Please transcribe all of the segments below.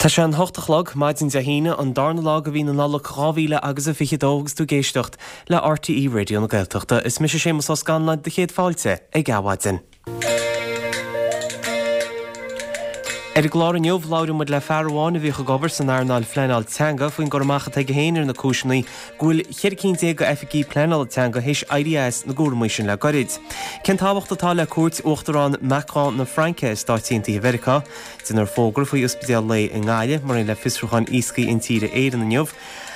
Tá sé an hocht a chlog, maidin Dé hAoine, an darna lá de mhí na Nollag 2000 agus a 22 agus tú ag éisteacht le RTÉ Raidió na Gaeltachta. Is mise Séamus Ó Scanláin, do chéad fáilte ag Adhmhaidin. Ar an gclár inniu, labhróidh muid le fear amháin a bhíodh ag obair san earnáil phleanáil teanga faoin gcur amach atá aige féin ar na cúiseanna go bhfuil 14 cinn d'oifigigh pleanála teanga théis éirí as na gcúramaí sin le goirid. Cén tábhacht atá le cuairt Uachtarán Macron na Fraince ar Stáit Aontaithe Mheiriceá? Déanfar fógra faoi ospidéal lae i nGaillimh, mar aon le fiosrúchán Iascaigh Intíre Éireann inniu,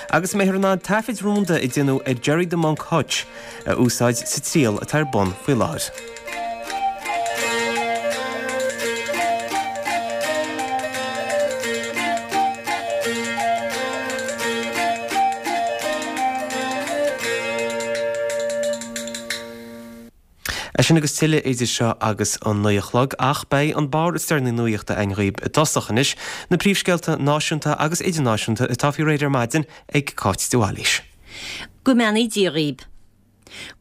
agus an mbeifear in ann taifid rúnda a déanadh ar Gerry 'The Monk' Hutch a úsáid sa triail atá ar bun faoi láthair. É sin agus tuilleadh idir seo agus an 9 a chlog, ach beidh an barr is deireanaí nuachta againn dhaoib i dtosach anois, na príomhscéalta náisiúnta agus idirnáisiúnta atá faoi réir ar maidin ag Cáit de Bhailís. Go mbeannaí Dia dhaoib.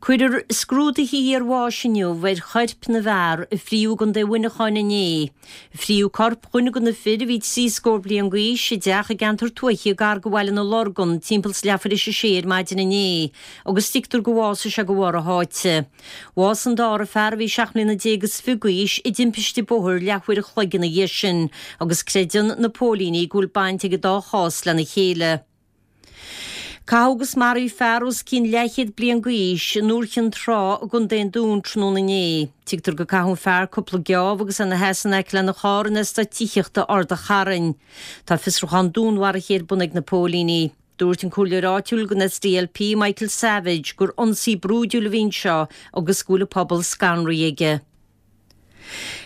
Cuirfear scrúduithe iarbháis inniu ar choirp na bhfear a fríodh i gContae Mhuineacháin inné. Fríodh corp dhuine de na fir, a bhí trí scór bliain d'aois, i dteach i gceantar tuaithe gar do Bhaile na Lorgan timpeall 's leathuair théis a sé ar maidin inné agus tuigtear gur bhásaigh sé de bharr a sháite. Bhásaigh an dara fear, a bhí seacht mbliana déag is fiche d'aois, i dtimpiste bóthair leathuair a chloig ina dhiaidh sin agus creideann na póilíní go bhfuil baint ag an dá chás lena chéile. Caitheadh agus maraíodh fear os cionn leathchéad bliain d'aois i nDúiche Chinn Trá i gContae an Dúin tráthnóna inné. Tuigtear gur caitheadh an fear cúpla geábh agus é ina sheasamh in aice lena charr in eastát tithíochta Ard an Chairn. Tá fiosrúchán dúnmharaithe ar bun ag na póilíní. Dúirt an comhairleoir áitiúil den SDLP, Michael Savage, gur ionsaí brúidiúil a bhí anseo agus go bhfuil an pobal scanraithe aige.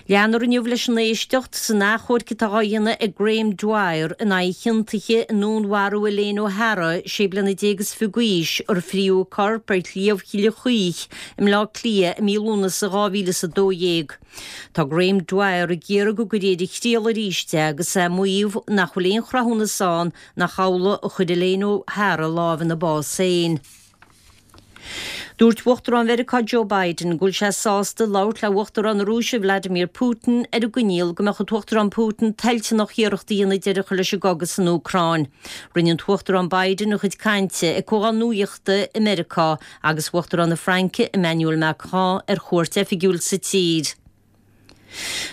Leanfar inniu leis an éisteacht san achomharc atá á dhéanamh ag Graham Dwyer in aghaidh a chiontaithe i ndúnmharú Elaine O'Hara, sé bliana déag is fiche d'aois, ar fríodh a corp ar Shliabh Chille Chaoich i mBleá Cliath i mí Lúnasa 2012. Tá Graham Dwyer ag iarraidh go gcuirfí ar a thriail arís é agus é ag maíomh nach bhfuil aon chruthúnas ann nach amhlaidh a chuir Elaine O'Hara lámh ina bás féin. Dúirt Uachtarán Mheiriceá Joe Biden go bhfuil sé sásta labhairt le Uachtarán na Rúise Vladimir Putin ar an gcoinníoll go mbeadh an tUachtarán Putin toilteanach iarracht a dhéanamh deireadh a chur leis an gcogadh san Úcráin. Rinne an tUachtarán Biden a chuid cainte ag comhdháil nuachta i Meiriceá agus Uachtarán na Fraince Emmanuel Macron ar chuairt oifigiúil sa tír.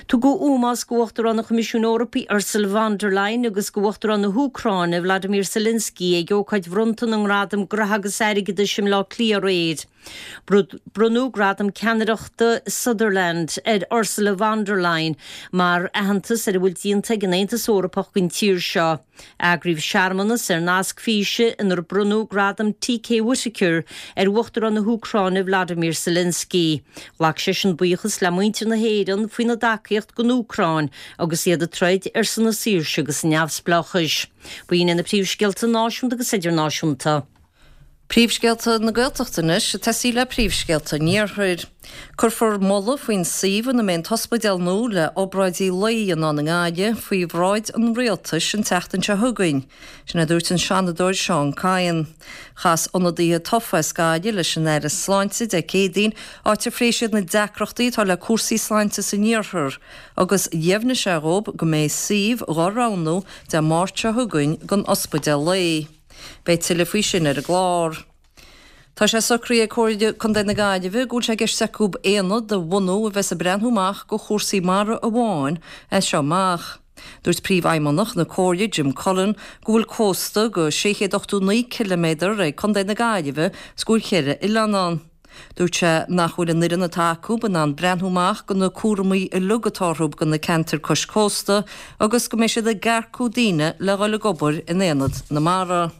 Tugadh ómós d'Uachtarán an Choimisiúin Eorpaigh Ursula von der Leyen agus d'Uachtarán na hÚcráine Vladimir Zelensky ag ócáid bhronnta na nGradam Graithe agus Airgeadais i mBleá Cliath aréir. Bronnadh Gradam Ceannaireachta Sutherland ar Ursula von der Leyen mar aitheantas ar a bhfuil déanta ag an Aontas Eorpach don tír seo. Eagraíodh searmanas ar nasc físe inar bronnadh Gradam TK Whitaker ar Uachtarán na hÚcráine Vladimir Zelensky. Ghlac seisean buíochas le muintir na hÉireann faoina dtacaíocht don Úcráin agus iad ag troid ar son a saoirse agus a neamhspleáchais. B'in iad na príomhscéalta náisiúnta agus idirnáisiúnta. Príomhscéalta na Gaeltachta anois, ag tosaí le príomhscéalta an Iarthair. Cuirfear moladh faoin suíomh ina mbeidh an t-ospidéal nua le obráidí lae a dhéanamh ann i nGaillimh faoi bhráid an Rialtais an tseachtain seo chugainn. Sin a dúirt an Seanadóir Seán Kyne. Chas ionadaithe tofa as Gaillimh leis an Aire Sláinte Dé Céadaoin, áit ar phléigh siad na deacrachtaí atá le cúrsaí sláinte san iarthar agus dheimhnigh sé dhóibh go mbeidh suíomh dhá roghnú Dé Máirt seo chugainn don ospidéal lae. Beidh tuilleadh faoi sin ar an gclár. Tá sé socraithe ag Comhairle Contae na Gaillimhe go bhfuil sé i gceist acu aonad a bhunú a bheas ag breathnú amach go chúrsaí mara amháin as seo amach. Dúirt Príomhfheidhmeannach na Comhairle, Jim Cullen, go bhfuil cósta go 689 ciliméadar ag Contae na Gaillimhe 's go bhfuil cheithre oileán ann. Dúirt sé nach bhfuil an fhoireann atá acu in ann breathnú amach go na cúramaí uilig atá orthu go na ceantair cois cósta agus go mbeidh siad ag earcú daoine le dhul ag obair in Aonad na Mara.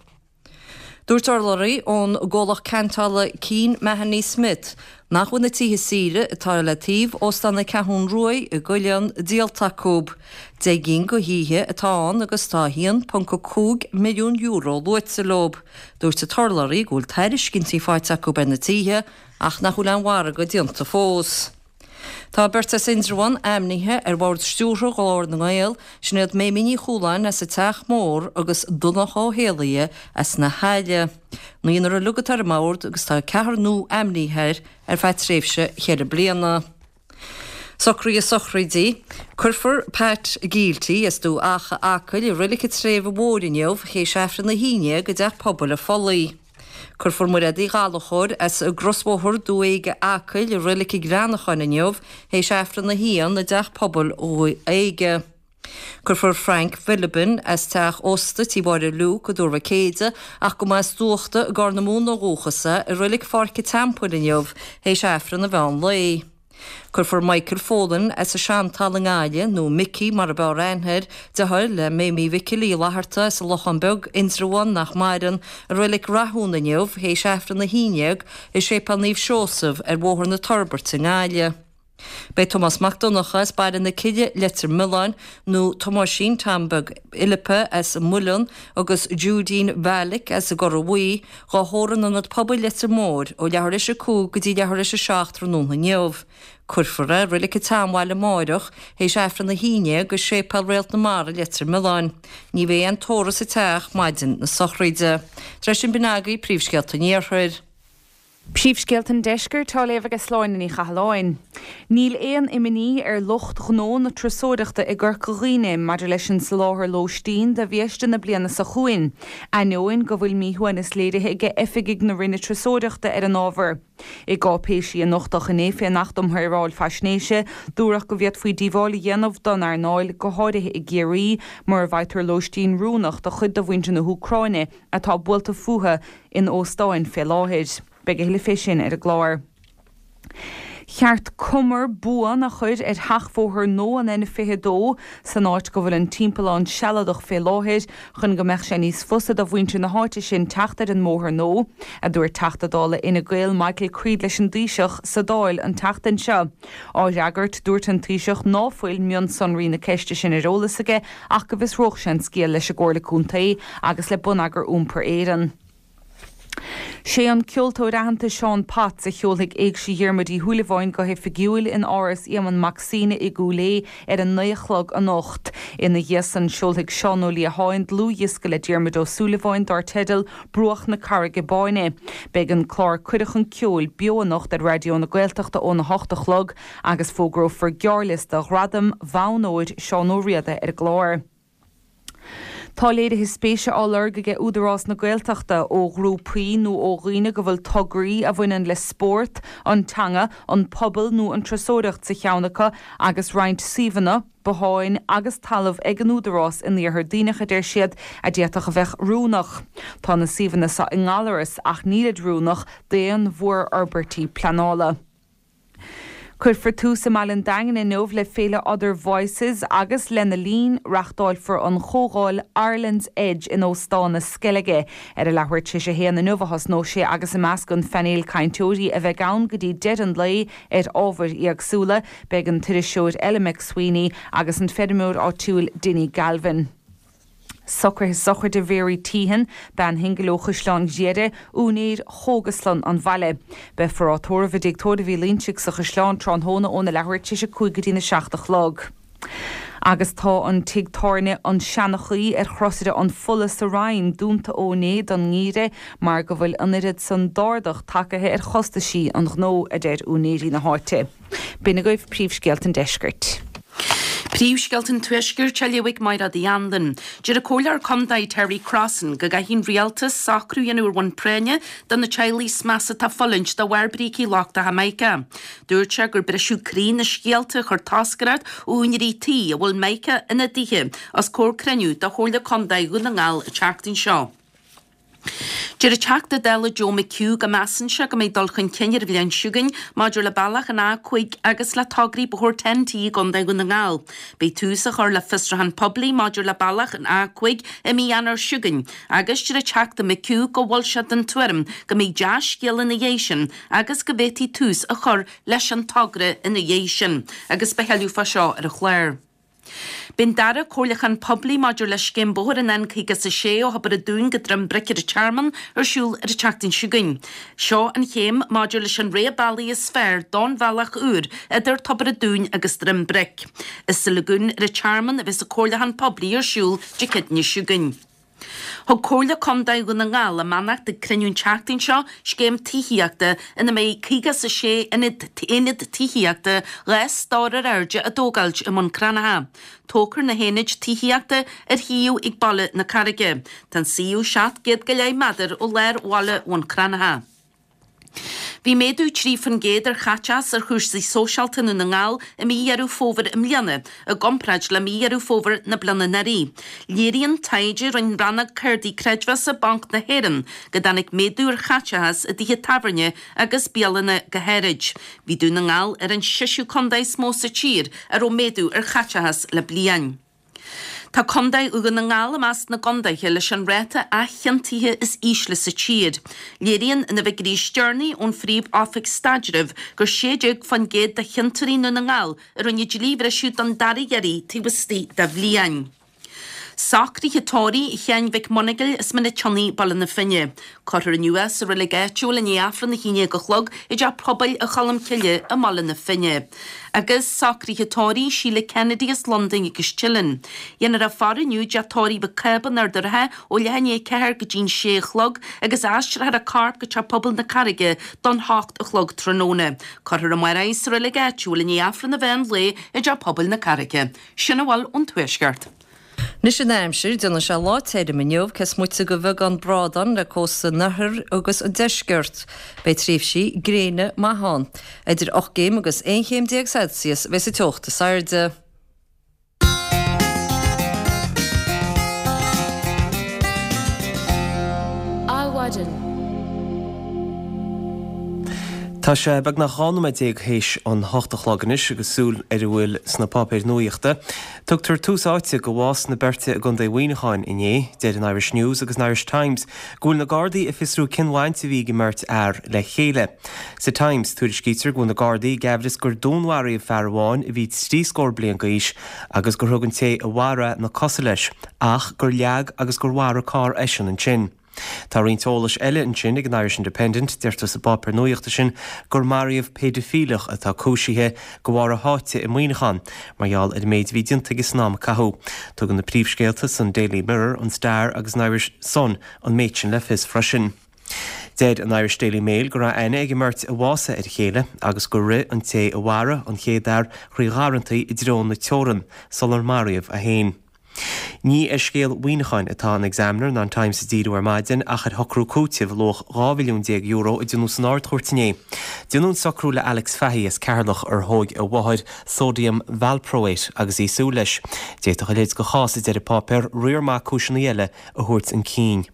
Dúirt urlabhraí ón gcomhlacht ceantála Keane Mahony Smith nach bhfuil na tithe saoire atá le taobh Óstán na Ceathrún Ruaidh i gCuilleán díolta acu. 10 gcinn go thithe atá ann agus tá €1.5 milliún luaite leo. Dúirt an t-urlabhraí go bhfuil tairiscintí faighte acu ar na tithe ach nach bhfuil aon mhargadh déanta fós. Tá beirt as Indreabhán ainmnithe ar bhord stiúrtha Ghlór na nGael, sin iad Méimí Ní Chualáin as an Teach Mór agus Donncha Ó hÉallaithe as na hAille. Naonúr uilig atá ar an mbord agus tá ceathrar nua ainmnithe air ar feadh tréimhse cheithre bliana. Socruithe sochraidí. Cuirfear Pat Gielty as Dumha Acha, Acaill, i Reilig an tSléibhe Mhóir inniu théis Aifreann 11 i dTeach Pobail an Phollaigh. Cuirfear Mairéad Uí Ghallchóir as an gCrosbhóthar, Dumha Éige, Acaill, i Reilig an Ghreanacháin inniu théis Aifreann 1 i dTeach Pobail Dhumha Éige. Cuirfear Frank Philbin as teach ósta Tí Mháire Luke i dTuar Mhic Éide, ach go mba as Dúachta i gCorr na Móna ó dhúchas é, i Reilig Pháirc an Teampaill inniu théis Aifreann an mheán lae. Cuirfear Michael Folan as an Seantalamh i nGaillimh, nó Mickey mar ab fhearr aithne air, deartháir le Méimí Mhicil Uí Fhlatharta as an Lochán Beag, Indreabhán, nach maireann, i Reilig Rathúin inniu théis Aifreann 11 i Séipéal Naomh Seosamh ar Bhóthar na Toirbhirte i nGaillimh. Beidh Tomás Mac Donncha as Baile na Cille, Leitir Mealláin, nó Tomáisín Tom Beag Fhilippa as an Muileann agus Judeen Mhalik as an gCora Bhuí, dhá thórramh in Ionad Pobail Leitir Móir ó leathuair théis a 5 go dtí leathuair théis a 7 tráthnóna inniu. Cuirfear é i Reilig an tSeanbhaile amáireach théis Aifreann 11 i Séipéal Réalt na Mara, Leitir Mealláin. Ní bheidh aon tórramh sa teach maidin na sochraide. Tar éis sin b'in agaibh príomhscéalta an Iarthair. Príomhscéalta an Deiscirt á léamh aige Sláine Ní Chathalláin. Níl aon imní ar lucht gnó na turasóireachta i gCorca Dhuibhne maidir leis an soláthar lóistín do bhiaiste na bliana seo chugainn, ainneoin go bhfuil míshuaimhneas léirithe aige oifigigh na Roinne Turasóireachta ar an ábhar. I gcáipéisí a nochtadh inné fén Acht um Shaoráil Faisnéise, dúradh go bhféadfaí díobháil a dhéanamh don earnáil, go háirithe i gCiarraí, mura bhfaightear lóistín oiriúnach do chuid de mhuintir na hÚcráine atá buailte fúthu in óstáin fé láthair. Beidh a thuilleadh fé sin ar an gclár. Cheart cumar buan a chur ar sheachbhóthar nua an N22 san áit go bhfuil an timpeallán sealadach fé láthair chun go mbeadh sé níos fusa do mhuintir na háite sin teacht ar an mbóthar nua, a dúirt Teachta Dála Fhine Gael Michael Creed leis an dTaoiseach sa Dáil an tseachtain seo. Á fhreagairt, dúirt an Taoiseach ná fuil mionsonraí na ceiste sin ar eolas aige ach go bhfiosródh sé an scéal leis an gComhairle Contae agus le Bonneagar Iompair Éireann. Sé an ceoltóir aitheanta Seán Potts a sheolfaidh Éigse Dhiarmuid Uí Shúilleabháin go hoifigiúil in Áras Éamonn Mac Suibhne i gCúil Aodha ar a naoi a chlog anocht. Ina dhiaidh san seolfaidh Seán Ó Liatháin dlúthdhiosca le Diarmuid Ó Súilleabháin dár teideal Bruach na Carraige Báine. Beidh an clár Cuireadh Chun Ceoil beo anocht ar Raidió na Gaeltachta óna hocht a chlog agus fógrófar gearrliosta Ghradaim Bhonn Óir Seán Ó Riada ar an gclár. Tá léirithe spéise á lorg aige Údarás na Gaeltachta ó ghrúpaí nó ó dhaoine go bhfuil tograí a bhaineann le spórt, an teanga, an pobal nó an turasóireacht sa cheann acu agus roinnt suíomhanna, botháin agus talamh ag an Údarás in Iarthar Duibhneach a deir siad, a d'fhéadfadh a bheith oiriúnach. Tá na suíomhanna seo i nGallaras ach nílid oiriúnach d'aon mhórfhorbairtí pleanála. Cuirfear tús i mbaile an Daingin inniu le Féile Other Voices agus lena linn reáchtálfar an chomhdháil Ireland's Edge in Óstán na Sceilge. Ar a leathuair tar éis a haon inniu a thosnóidh sé agus i measc an phainéil cainteoirí a bheidh ann go dtí deireadh an lae ar ábhair éagsúla, beidh an t-iriseoir Ella McSweeney agus an feirmeoir áitiúil Dinny Galvin. Socruithe sochraide Mhary Teehan, bean shingil ó Chaisleán Ghriaire, úinéir Chógaslann an bhaile. Beifear á tórramh i dTigh Tórraimh Uí Loingsigh sa Chaisleán tráthnóna óna leathuair tar éis a 5 go dtína 7 a chlog. Agus tá an tigh tábhairne An Seanchaí ar Chrosaire an Pholla sa Rinn dúnta ó inné don ngeimhreadh mar go bhfuil an oiread san d'ardach tagaithe ar chostaisí an ghnó, a deir úinéirí na háite. B'in agaibh príomhscéalta an deiscirt. Príomhscéalta an Tuaiscirt á léamh ag Mairéad Uí Anluain. Deir an Comhairleoir Contae Terry Crossan go gcaithfidh an Rialtas socrú a dhéanamh ar bhonn práinne do na teaghlaigh is measa atá ag fulaingt de bharr brící lochtacha Mica. Dúirt sé gur briseadh croí na scéalta a chuir toscaireacht ó úinéirí tí a bhfuil Mica ina dtithe os comhair cruinniú de Chomhairle Contae Dhún na nGall an tseachtain seo. Deir an Teachta Dála Joe McHugh go measann sé go mbeidh dul chun cinn ar an bhliain seo chugainn maidir le bealach an A5 agus le tograí bóthair TEN-T i gContae Dhún na nGall. Beidh tús á chur le fiosrúchán poiblí maidir le bealach an A5 i mí Eanáir seo chugainn agus deir an Teachta McHugh go bhfuil sé den tuairim go mbeidh dea-scéala ina dhiaidh sin agus go bhféadfaí tús a chur leis an togra ina dhiaidh sin agus beidh tuilleadh fá seo ar an chlár. Beidh an dara comhairliúchán poiblí maidir le scéim bóthair an N56 ó Thobar an Dúin go Droim Bric ar an Tearmann ar siúl ar an tseachtain seo chugainn. Seo an chéim maidir leis an rogha bealaigh is fearr don bhealach úr idir Tobar an Dúin agus Droim Bric. Is sa Lagún ar an Tearmann a bheas an comhairliúchán poiblí ar siúl Dé Céadaoine seo chugainn. Thug Comhairle Contae Dhún na nGall a mbeannacht ag cruinniú an tseachtain seo scéim tithíochta ina mbeidh 56 aonad tithíochta 2 stór ar airde á dtógáilt i mBun Cranncha. Tógfar na haonaid tithíochta ar shuíomh ag Baile na Carraige. Tá an suíomh 700 go leith méadar ó lár bhaile Bhun Cranncha. Bhí méadú 3% ar chaiteachas ar chúrsaí sóisialta i nDún na nGall i mí Dheireadh Fómhair i mbliana i gcomparáid le mí Dheireadh Fómhair na bliana anuraidh. Léiríonn taighde a rinne rannóg cártaí creidmheasa Banc na hÉireann go dtáinig méadú ar chaiteachas i dtithe tábhairne agus bialanna go háirid. Bhí Dún na nGall ar an seisiú contae is mó sa tír a raibh méadú ar chaiteachas le bliain. Tá Contae Dhún na nGall i measc na gcontaetha leis an ráta athchiontaithe is ísle sa tír. Léiríonn na figiúirí is deireanaí ón Phríomh-Oifig Staidrimh gur 16% de chiontóirí i nDún na nGall a rinne dlíbhriseadh don dara hiarraidh taobh istigh de bhliain. Socruithe tórraimh Sheáin Mhic Monagail as Mín an tSionnaigh, Baile na Finne. Cuirfear inniu é sa reilig áitiúil i ndiaidh Aifreann 11 a chlog i dTeach Pobail Cholmcille i mBaile na Finne. Agus socruithe tórraimh Sheila Kennedy as Londain agus Teileann. Dhéanfar a faire inniu i dTeach Tórraimh Mhic Cába in Ard an Rátha ó leath i ndiaidh 4 go dtí'n 6 a chlog agus aistreofar a corp go Teach Pobail na Carraige don 8 a chlog tráthnóna. Cuirfear amárach í sa reilig áitiúil i ndiaidh Aifreann an mheán lae i dTeach Pobail na Carraige. Sin a bhfuil ón Tuaisceart. Anois an aimsir, déanfaidh sé lá tirim inniu, cé is moite de bheagán brádán le cósta an oirthir agus an deiscirt. Beidh tréimhsí gréine maithe ann. Idir 8 gcéim agus 11 chéim Celsius a bheidh sa teocht is airde. Adhmhaidin. Tá sé beagnach 12 nóiméad théis an hocht a chlog anois agus súil ar a bhfuil sna páipéir nuaíochta. Tugtar tús áite go bhás na beirte i gContae Mhuineacháin inné. Deir an Irish News agus an Irish Times go bhfuil na Gardaí ag fiosrú cén bhaint a bhí ag an mbeirt fhear le chéile. Sa Times, tuairiscítear go bhfuil na Gardaí ag aimhreas gur dúnmharaíodh fear amháin a bhí trí scór bliain d'aois agus gur thug an té a mharaigh é na cosa leis ach gur leag agus gur mharaigh carr eisean ansin. Tá roinnt eolais eile ansin ag an Irish Independent, deirtear sa bpáipéar nuaíochta sin gur maraíodh péidifileach atá cúisithe de bharr a sháite i Muineachán mar gheall ar an méid a bhí déanta aige san am a caitheadh. Tugann na príomhscéalta san Daily Mirror, an Star agus an Irish Sun an méid sin le fios freisin. Deir an Irish Daily Mail go raibh aithne ag an mbeirt a bhásaigh ar a chéile agus gur rith an té a mharaigh an chéad fhear thrí gharrantaí i dtreo na teorann sular maraíodh é féin. Ní ar scéal Mhuineacháin atá an Examiner ná an Times ag díriú ar maidin ach ar shocrú cúitimh luach €12 mhilliún a déanadh san Ard-Chúirt inné. Déanadh an socrú le Alex Fahy as Ceatharlach ar thóig a mháthair sodium valproate agus í ag súil leis. D'fhéadfadh a leithéid de chás, a deir an páipéar, riar maith cúiseanna eile a thabhairt chun cinn.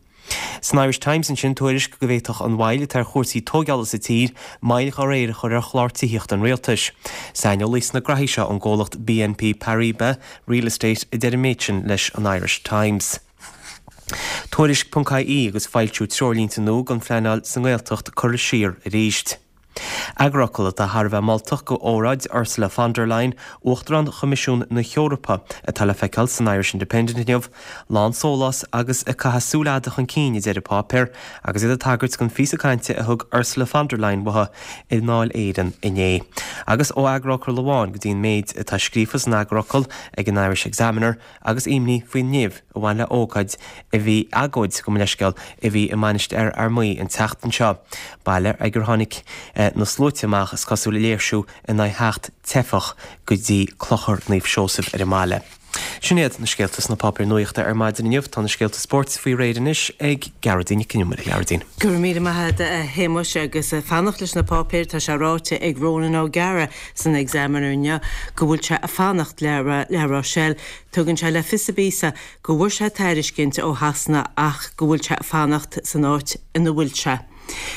San Irish Times ansin, tuairisc go bhféadfadh an mhoill atá ar chúrsaí tóigeála sa tír moill dá réir a chur ar chlár tithíochta an rialtais. Saineolaí sna graithí seo ón gcomhlacht BNP Paribas Real Estate a deir an méid sin leis an Irish Times. Tuairisc ponc IE agus foilsiú treoirlínte nua don phleanáil sa nGaeltacht curtha siar arís. Eagarfhocal atá thar a bheith moltach go óráid Ursula von der Leyen, Uachtarán Choimisiún na hEorpa, atá le feiceáil san Irish Independent inniu, lán sóláis agus ag caitheamh súil fhada chun cinn, a deir an páipéar, agus iad ag tagairt don phíosa cainte a thug Ursula von der Leyen uathu i nDáil Éireann inné. Agus ó eagarfhocal amháin go dtí an méid atá scríofa san eagarfhocal ag an Irish Examiner, agus imní faoin nimh a bhain le ócáid a bhí, agóid, gabh mo leithscéal, a bhí i Mainistir Fhear Maí an tseachtain seo, baile ag ar tháinig na sluaite amach, is cosúil, ag léirsiú in aghaidh theacht teifeach go dtí Clochar Naomh Seosamh ar an mbaile. Sin iad na scéalta sna páipéir nuachta ar maidin inniu. Tá na scéalta spóirt faoi réir anois ag Gearóidín Nic Con Iomaire. A Ghearóidín. Go raibh míle maith agat a Shéamuis agus fanacht leis na páipéir, tá sé ráite ag Ronan O'Gara san Examiner inniu go bhfuil sé ag fanacht le La Rochelle. Tugann sé le fios sa bpíosa go bhfuair sé tairiscint ó Shasana ach go bhfuil sé ag fanacht san áit ina bhfuil sé.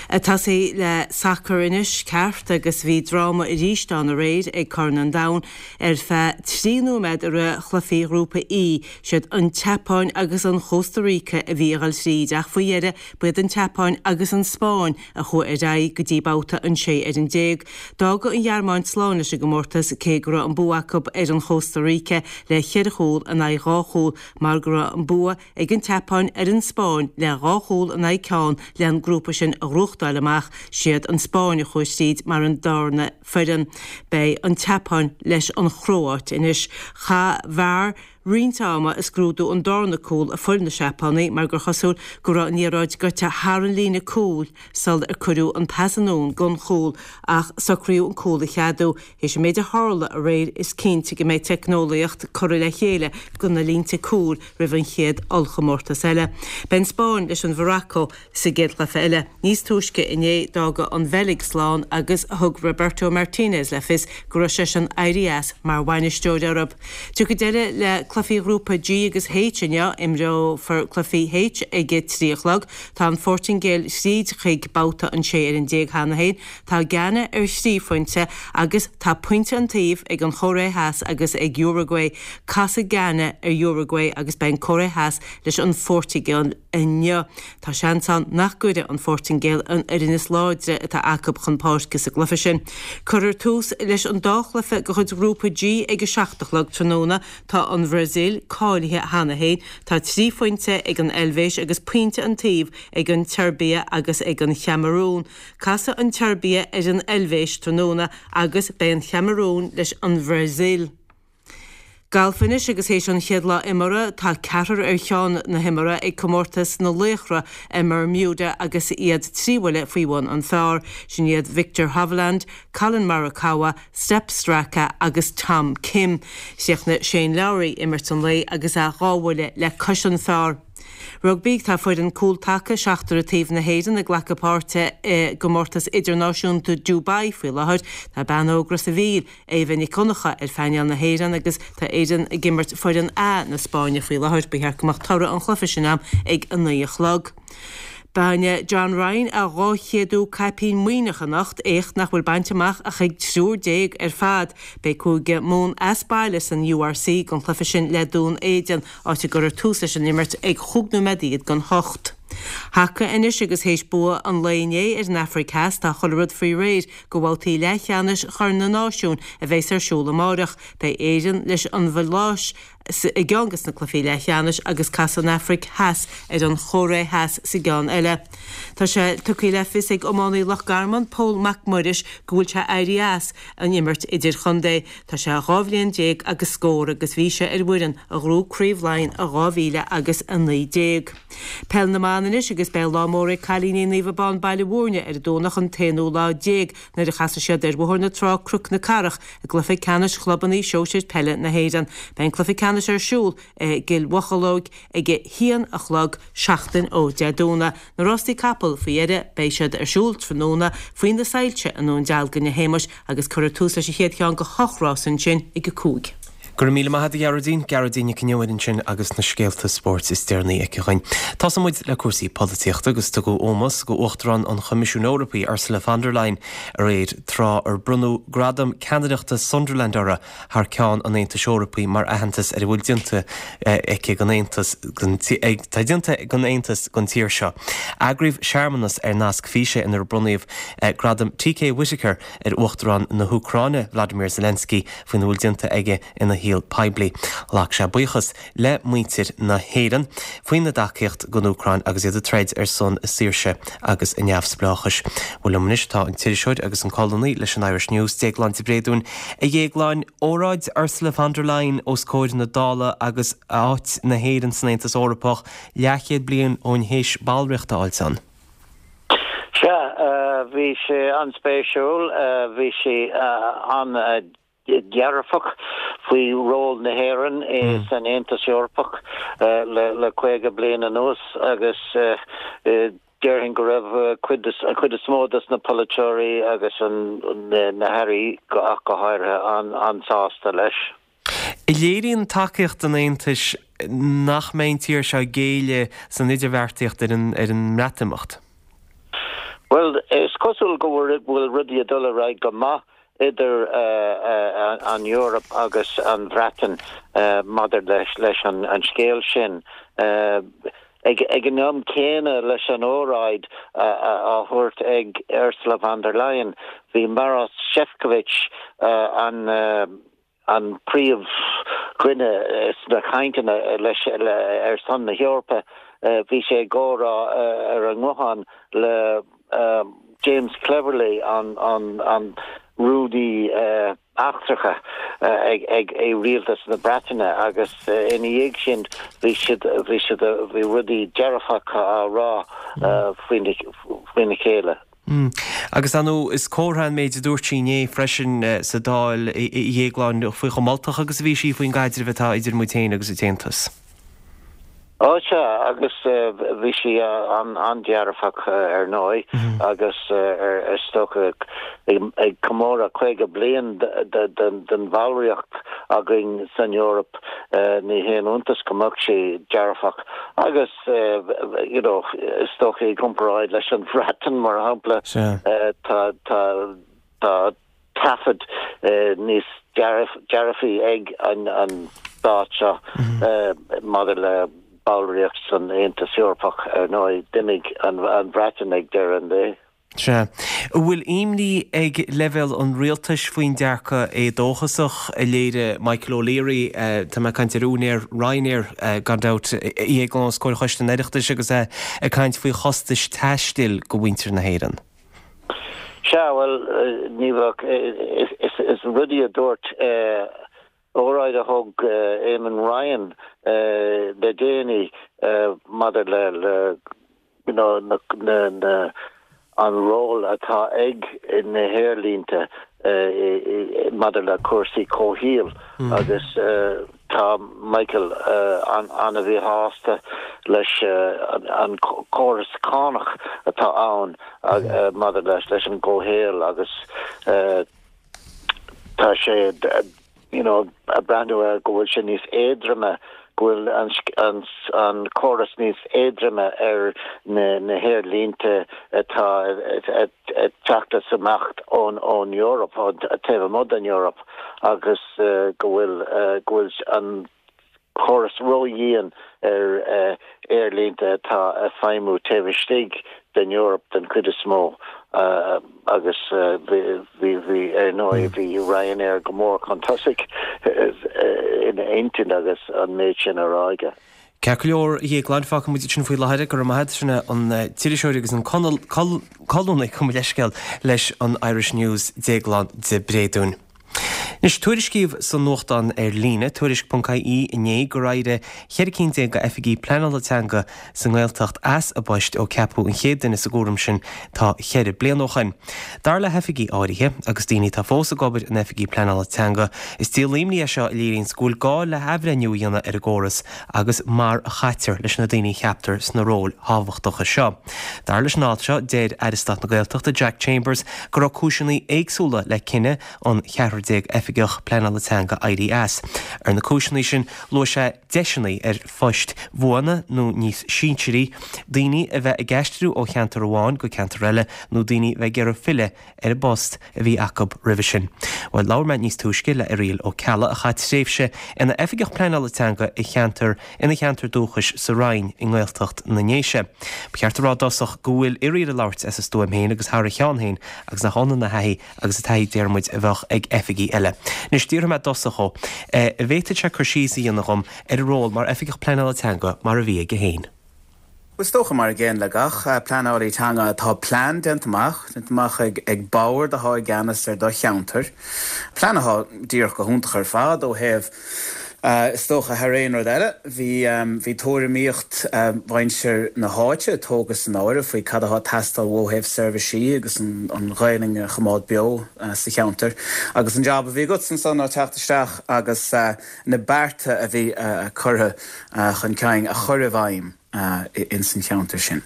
Ag tosaí le sacar anois, ceart, agus bhí dráma arís ann aréir ag Corn an Domhain ar feadh 3 nóiméad i rith chluichí Ghrúpa E. Siad an tSeapáin agus an Chósta Ríce a bhí ag dul tríd ach faoi dheireadh ba iad an tSeapáin agus an Spáinn a chuaigh ar aghaidh go dtí babhta an 16 fhoireann. D'fhág an Ghearmáin slán leis an gcomórtas cé go raibh an bua acu ar an Chósta Ríce le cheithre chúl in aghaidh dhá chúl mar go raibh an bua ag an tSeapáin ar an Spáinn le dhá chúl in aghaidh ceann le an grúpa sin a ghnóthachtáil amach. Siad an Spáinn a chuaigh tríd mar an darna foireann. Beidh an tSeapáin leis an Chróáit anois. Chaith VAR. roinnt ama ag scrúdú an darna cúl a fuair na Seapánaigh mar gur chosúil go raibh an liathróid gaibhte thar an líne cúil sul ar cuireadh an pas anonn don chúl ach socraíodh an cúl a cheadú. Théis an méid a tharla aréir is cinnte go mbeidh teicneolaíocht curtha le chéile do na línte cúil roimh an chéad ollchomórtas eile. Beidh an Spáinn leis an Mhorocco sa gcéad chluiche eile. Níos túisce inné d'fhág an Bheilg slán agus thug Roberto Martinez le fios go raibh seisean éirí as mar bhainisteoir orthu. Tiocfaidh deireadh le cluichí Ghrúpa G agus H inniu. Imreofar cluichí H ag a 3 a chlog. Tá an Phortaingéil thríd chuig babhta an 16 fhoireann cheana féin. Tá Ghana ar thrí phointe agus tá pointe an taobh ag an Chóiré Theas agus ag Uruguay. Casfaidh Ghana ar Uruguay agus beidh an Cóiré Theas leis an Phortaingéil inniu. Tá seans ann nach gcuirfidh an Phortaingéil an fhoireann is láidre atá acu chun páirce sa gcluiche sin. Cuirfear tús leis an dá chluiche de chuid Ghrúpa G ag a 7 a chlog tráthnóna. Tá an Bhrasaíl cáilithe cheana féin. Tá 3 phointe ag an Eilvéis agus pointe an taobh ag an tSeirbia agus ag an Chamarún. Casfaidh an tSeirbia ar an Eilvéis tráthnóna agus beidh an Chamarún leis an Bhrasaíl. Galf anois agus théis an chéad lá imeartha tá ceathrar ar cheann na himeartha ag Comórtas na Laochra i mBermuda agus iad 3 bhuille faoi bhun an phar. Sin iad Viktor Hovland, Collin Morikawa, Sepp Straka agus Tom Kim. Chríochnaigh Shane Lowry imirt an lae agus é dhá bhuille le cois an phar. Rugbaí, Tá foireann cúl-taca seachtar taobh na hÉireann ag glacadh páirte i gComórtas Idirnáisiúnta Dubai faoi láthair. Tá bean óg Ros a' Mhíl, Éabha Nic Dhonncha, ar phainéal na hÉireann agus tá Éirinn ag imirt foireann A na Spáinne faoi láthair. Ba cheart go mbeadh toradh an chluiche sin agam ag 9 a chlog. Bainfidh John Ryan a 200ú caipín Muimhneach anocht, éacht nach bhfuil bainte amach ach ag 13 ar fad. Beidh Cúige Mumhan as baile san URC don chluiche sin le Dún Éideann, áit a gcuirfear tús leis an imirt ag chúig nóiméad don hocht. Haca anois agus théis bua an lae inné ar an Afraic Theas tá chuile rud faoi réir do bhabhtaí leathcheannais Chorn na Náisiún a bheas ar siúl amáireach. Beidh Éirinn leis an Mhaláis i gceann des na cluichí leathcheannais agus casfaidh an Afraic Theas ar an Chóiré Theas sa gceann eile. Tá sé tugtha le fios ag iománaí Loch Garman, Pól Mac Muiris, go bhfuil sé éirí as an imirt idirchontae. Tá sé 12 bhliain agus scór agus bhí sé ar bhfoireann a ghnóthaigh Craobh Laighean i 2019. Peil na mBan anois agus beidh lá mór ag cailíní Naomh Abán Baile Mhúirne ar an Domhnach an t-aonú lá déag nuair a chasfaidh siad ar Bhóthar na Trá Cnoc na Cathrach i gcluiche ceannais chlubanna sóisir peile na hÉireann. Beidh an cluiche ceannais ar siúl i gCill Mhocheallóg ag a haon a chlog seachtain ó Dé Domhnaigh. Na rástaí capall faoi dheireadh, beidh siad ar siúl tráthnóna faoi na soilse i nDún Dealgan a Shéamais agus cuirfear tús leis an chéad cheann de hocht rás ansin ag a 5. Go raibh míle maith agat a Ghearóidín, Gearóidín Nic an Iomaire ansin agus na scéalta spóirt is deireanaí aici dhuinn. Tosóidh muid le cúrsaí polaitíochta agus tugadh ómós do Uachtarán an Choimisiúin Eorpaigh, Ursula von der Leyen, aréir tráth ar bronnadh Gradam Ceannaireachta Sunderland uirthi thar ceann an Aontais Eorpaigh mar aitheantas ar a bhfuil déanta aici don Aontas atá déanta ag an Aontas don tír seo. Eagraíodh searmanas ar nasc físe inar bronnadh Gradam TK Whitaker ar Uachtarán na hÚcráine Vladimir Zelensky faoina bhfuil déanta aige ina shaol poiblí. Ghlac sé buíochas le muintir na hÉireann faoina dtacaíocht don Úcráin agus iad ag troid ar son a saoirse agus a neamhspleáchais. Bhuel liom anois tá an t-iriseoir agus an colúnaí leis an Irish News, Déaglán de Bréadún. A Dhéagláin, óráid Ursula von der Leyen os comhair na Dála agus áit na hÉireann san Aontas Eorpach leathchéad bliain ó shin théis ballraíocht a fháilt ann. Sea, bhí sé an-spéisiúil. Bhí sí an-. dearfach faoi ról na hÉireann san Aontas Eorpach le 50 bliain anuas agus déarfainn go raibh an chuid is mó de na polaiteoirí agus na hairí ach go háirithe an-sásta leis. Léiríonn tacaíocht an Aontais nach mbeidh an tír seo ag géilleadh san idirbheartaíocht ar an mBreatimeacht. Bhuel, is cosúil go bhfuil rudaí ag dul ar aghaidh go maith idir an Eoraip agus an Bhreatain maidir leis an scéal sin. Ag an am céanna leis an óráid á thabhairt ag Ursula von der Leyen, bhí Maros Sefcovic, an an príomhdhuine sna cainteanna leis ar son na hEorpa, bhí sé ag comhrá ar an nguthán le James Cleverly, an. Rúnaí Eachtracha ag Rialtas na Breataine agus ina dhiaidh sin bhí siad, bhí siad, bhí rudaí dearfacha á rá faoina chéile. Agus ar ndóigh is comhartha an méid a dúirt sí inné freisin sa Dáil, a Dhéagláin, faoi chomh moltach agus a bhí sí faoin gcaidreamh atá idir muid féin agus an tAontas. Ó sea, agus bhí sí an-dearfach ar ndóigh agus is dócha ag comóradh 50 bliain den bhallraíocht againn san Eoraip ní haon iontas go mbeadh sí dearfach agus you know is dócha i gcomparáid leis an Bhreatain mar shampla tá tá tá taifead níos dearfaí ag an stát seo maidir le ballraíocht san Aontas Eorpach. Ar ndóigh, d'imigh an Bhreatain ag deireadh an lae. Sea. An bhfuil imní ag leibhéal an rialtais faoin dearcadh éadóchasach a léirigh Michael O'Leary, tá mé ag caint ar úinéir Ryanair, gan dabht, a Dhéagláin, os comhair Choiste an Oireachtais agus é ag caint faoi chostais taistil do mhuintir na hÉireann? Sea, bhuel, ní bheadh, is rudaí a dúirt, óráid a thug Eamon Ryan le déanaí maidir le, le, you know, na, na, an ról atá ag na haerlínte maidir le cúrsaí comhshaoil agus tá Michael an-mhíshásta leis an córas cánach atá ann maidir leis an gcomhshaol agus tá sé you know ag breathnú air go bhfuil sé níos éadroime, go bhfuil an an córas níos éadroime ar na na haerlínte atá ag teacht is ag imeacht ón ón Eoraip, ón taobh amuigh den Eoraip agus go bhfuil go bhfuil an córas ródhian ar aerlínte atá ag feidhmiú taobh istigh den Eoraip den chuid is mó agus bhí, bhí, ar ndóigh, bhí Ryanair go mór chun tosaigh ina intinn agus an méid sin á rá aige. Ceart go leor, a Dhéagláin, fágfaidh muid ansin faoi láthair é. Go raibh maith agat. Sin é an t-iriseoir agus an colúnaí, gabh mo leithscéal, leis an Irish News, Déaglán de Bréadún. Anois, tuairiscíodh sa nuachtán ar líne, Tuairisc.ie, inné gur éirigh 14 cinn d'oifigigh pleanála teanga sa nGaeltacht as a bpoist ó ceapadh an chéad duine sa gcúram sin tá cheithre bliana ó shoin. Dar le hoifigigh áirithe, agus daoine atá fós ag obair ina oifigigh pleanála teanga, is díol imní é seo a léiríonns go bhfuil gá le hathbhreithniú a dhéanamh ar an gcóras agus mar a chaitear leis na daoine a cheaptar sna róil thábhachtacha seo. Dar leis an alt seo, deir Aire Stáit na Gaeltachta Jack Chambers go raibh cúiseanna éagsúla le cinneadh an 14 oifigeach pleanála teanga éirí as. Ar na cúiseanna sin, luaigh sé deiseanna ar phoist bhuana nó níos sinsearaí, daoine a bheith ag aistriú ó cheantar amháin go ceantar eile nó daoine a bheith ag iarraidh filleadh ar an bpost a bhí acu roimhe sin. Bhuel, labhair mé níos túisce le Irial Ó Ceallaigh a chaith tréimhse ina oifigeach pleanála teanga i cheantar ina cheantar dúchais sa Rinn i nGaeltacht na nDéise. Ba cheart a rá i dtosach go bhfuil Irial ag labhairt as a stuaim féin agus thar a cheann féin agus nach ionann a thaithí agus an taithí déarfaidh muid a bheadh ag oifigigh eile. Anois, d'fhiafraigh mé i dtosach dhó an bhféadfadh sé cur síos a dhéanamh dhom ar a ról mar oifigeach pleanála teanga mar a bhí aige féin. Bhuel, is dócha, mar an gcéanna le gach pleanálaí teanga, tá plean déanta amach, déanta amach ag bord atá i gceannas ar do cheantar, plean atá díreach go hiontach ar fad ó thaobh, is dócha, thar aon rud eile, bhí, bhí tuairimíocht mhuintir na háite tógtha san áireamh faoi cad atá ag teastáil ó thaobh seirbhísí agus an Ghaelainn a choimeád beo sa cheantar. Agus an jab a bhí agatsa ansan ná teacht isteach agus na bearta a bhí curtha chun cinn a chur i bhfeidhm ins an cheantar sin.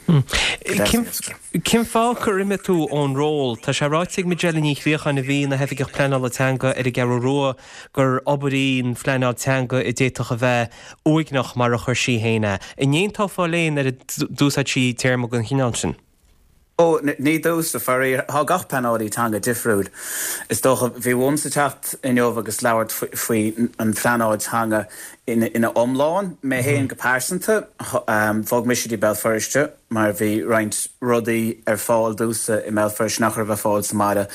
Cén fáth gur imigh tú ón ról? Tá sé ráite ag Majella Ní Chríocháin, a bhí ina hoifigeach pleanála teanga ar an gCeathrú Rua, gur obair í an phleanáil teanga a d'fhéadfadh a bheith uaigneach, mar a chuir sí féin é. An n-aontófá léi nuair a d'úsáid sí téarma den chineál sin? Ó, ní domhsa, faraor. Tá gach pleanálaí teanga difriúil. Is dócha, bhí uaimse teacht inniu agus labhairt faoi an phleanáil teanga ina iomlán. Mé féin go pearsanta, bhog mise dtí Béal Feirste mar bhí roinnt rudaí ar fáil domhsa i mBéal Feirste nach raibh ar fáil sa mbaile.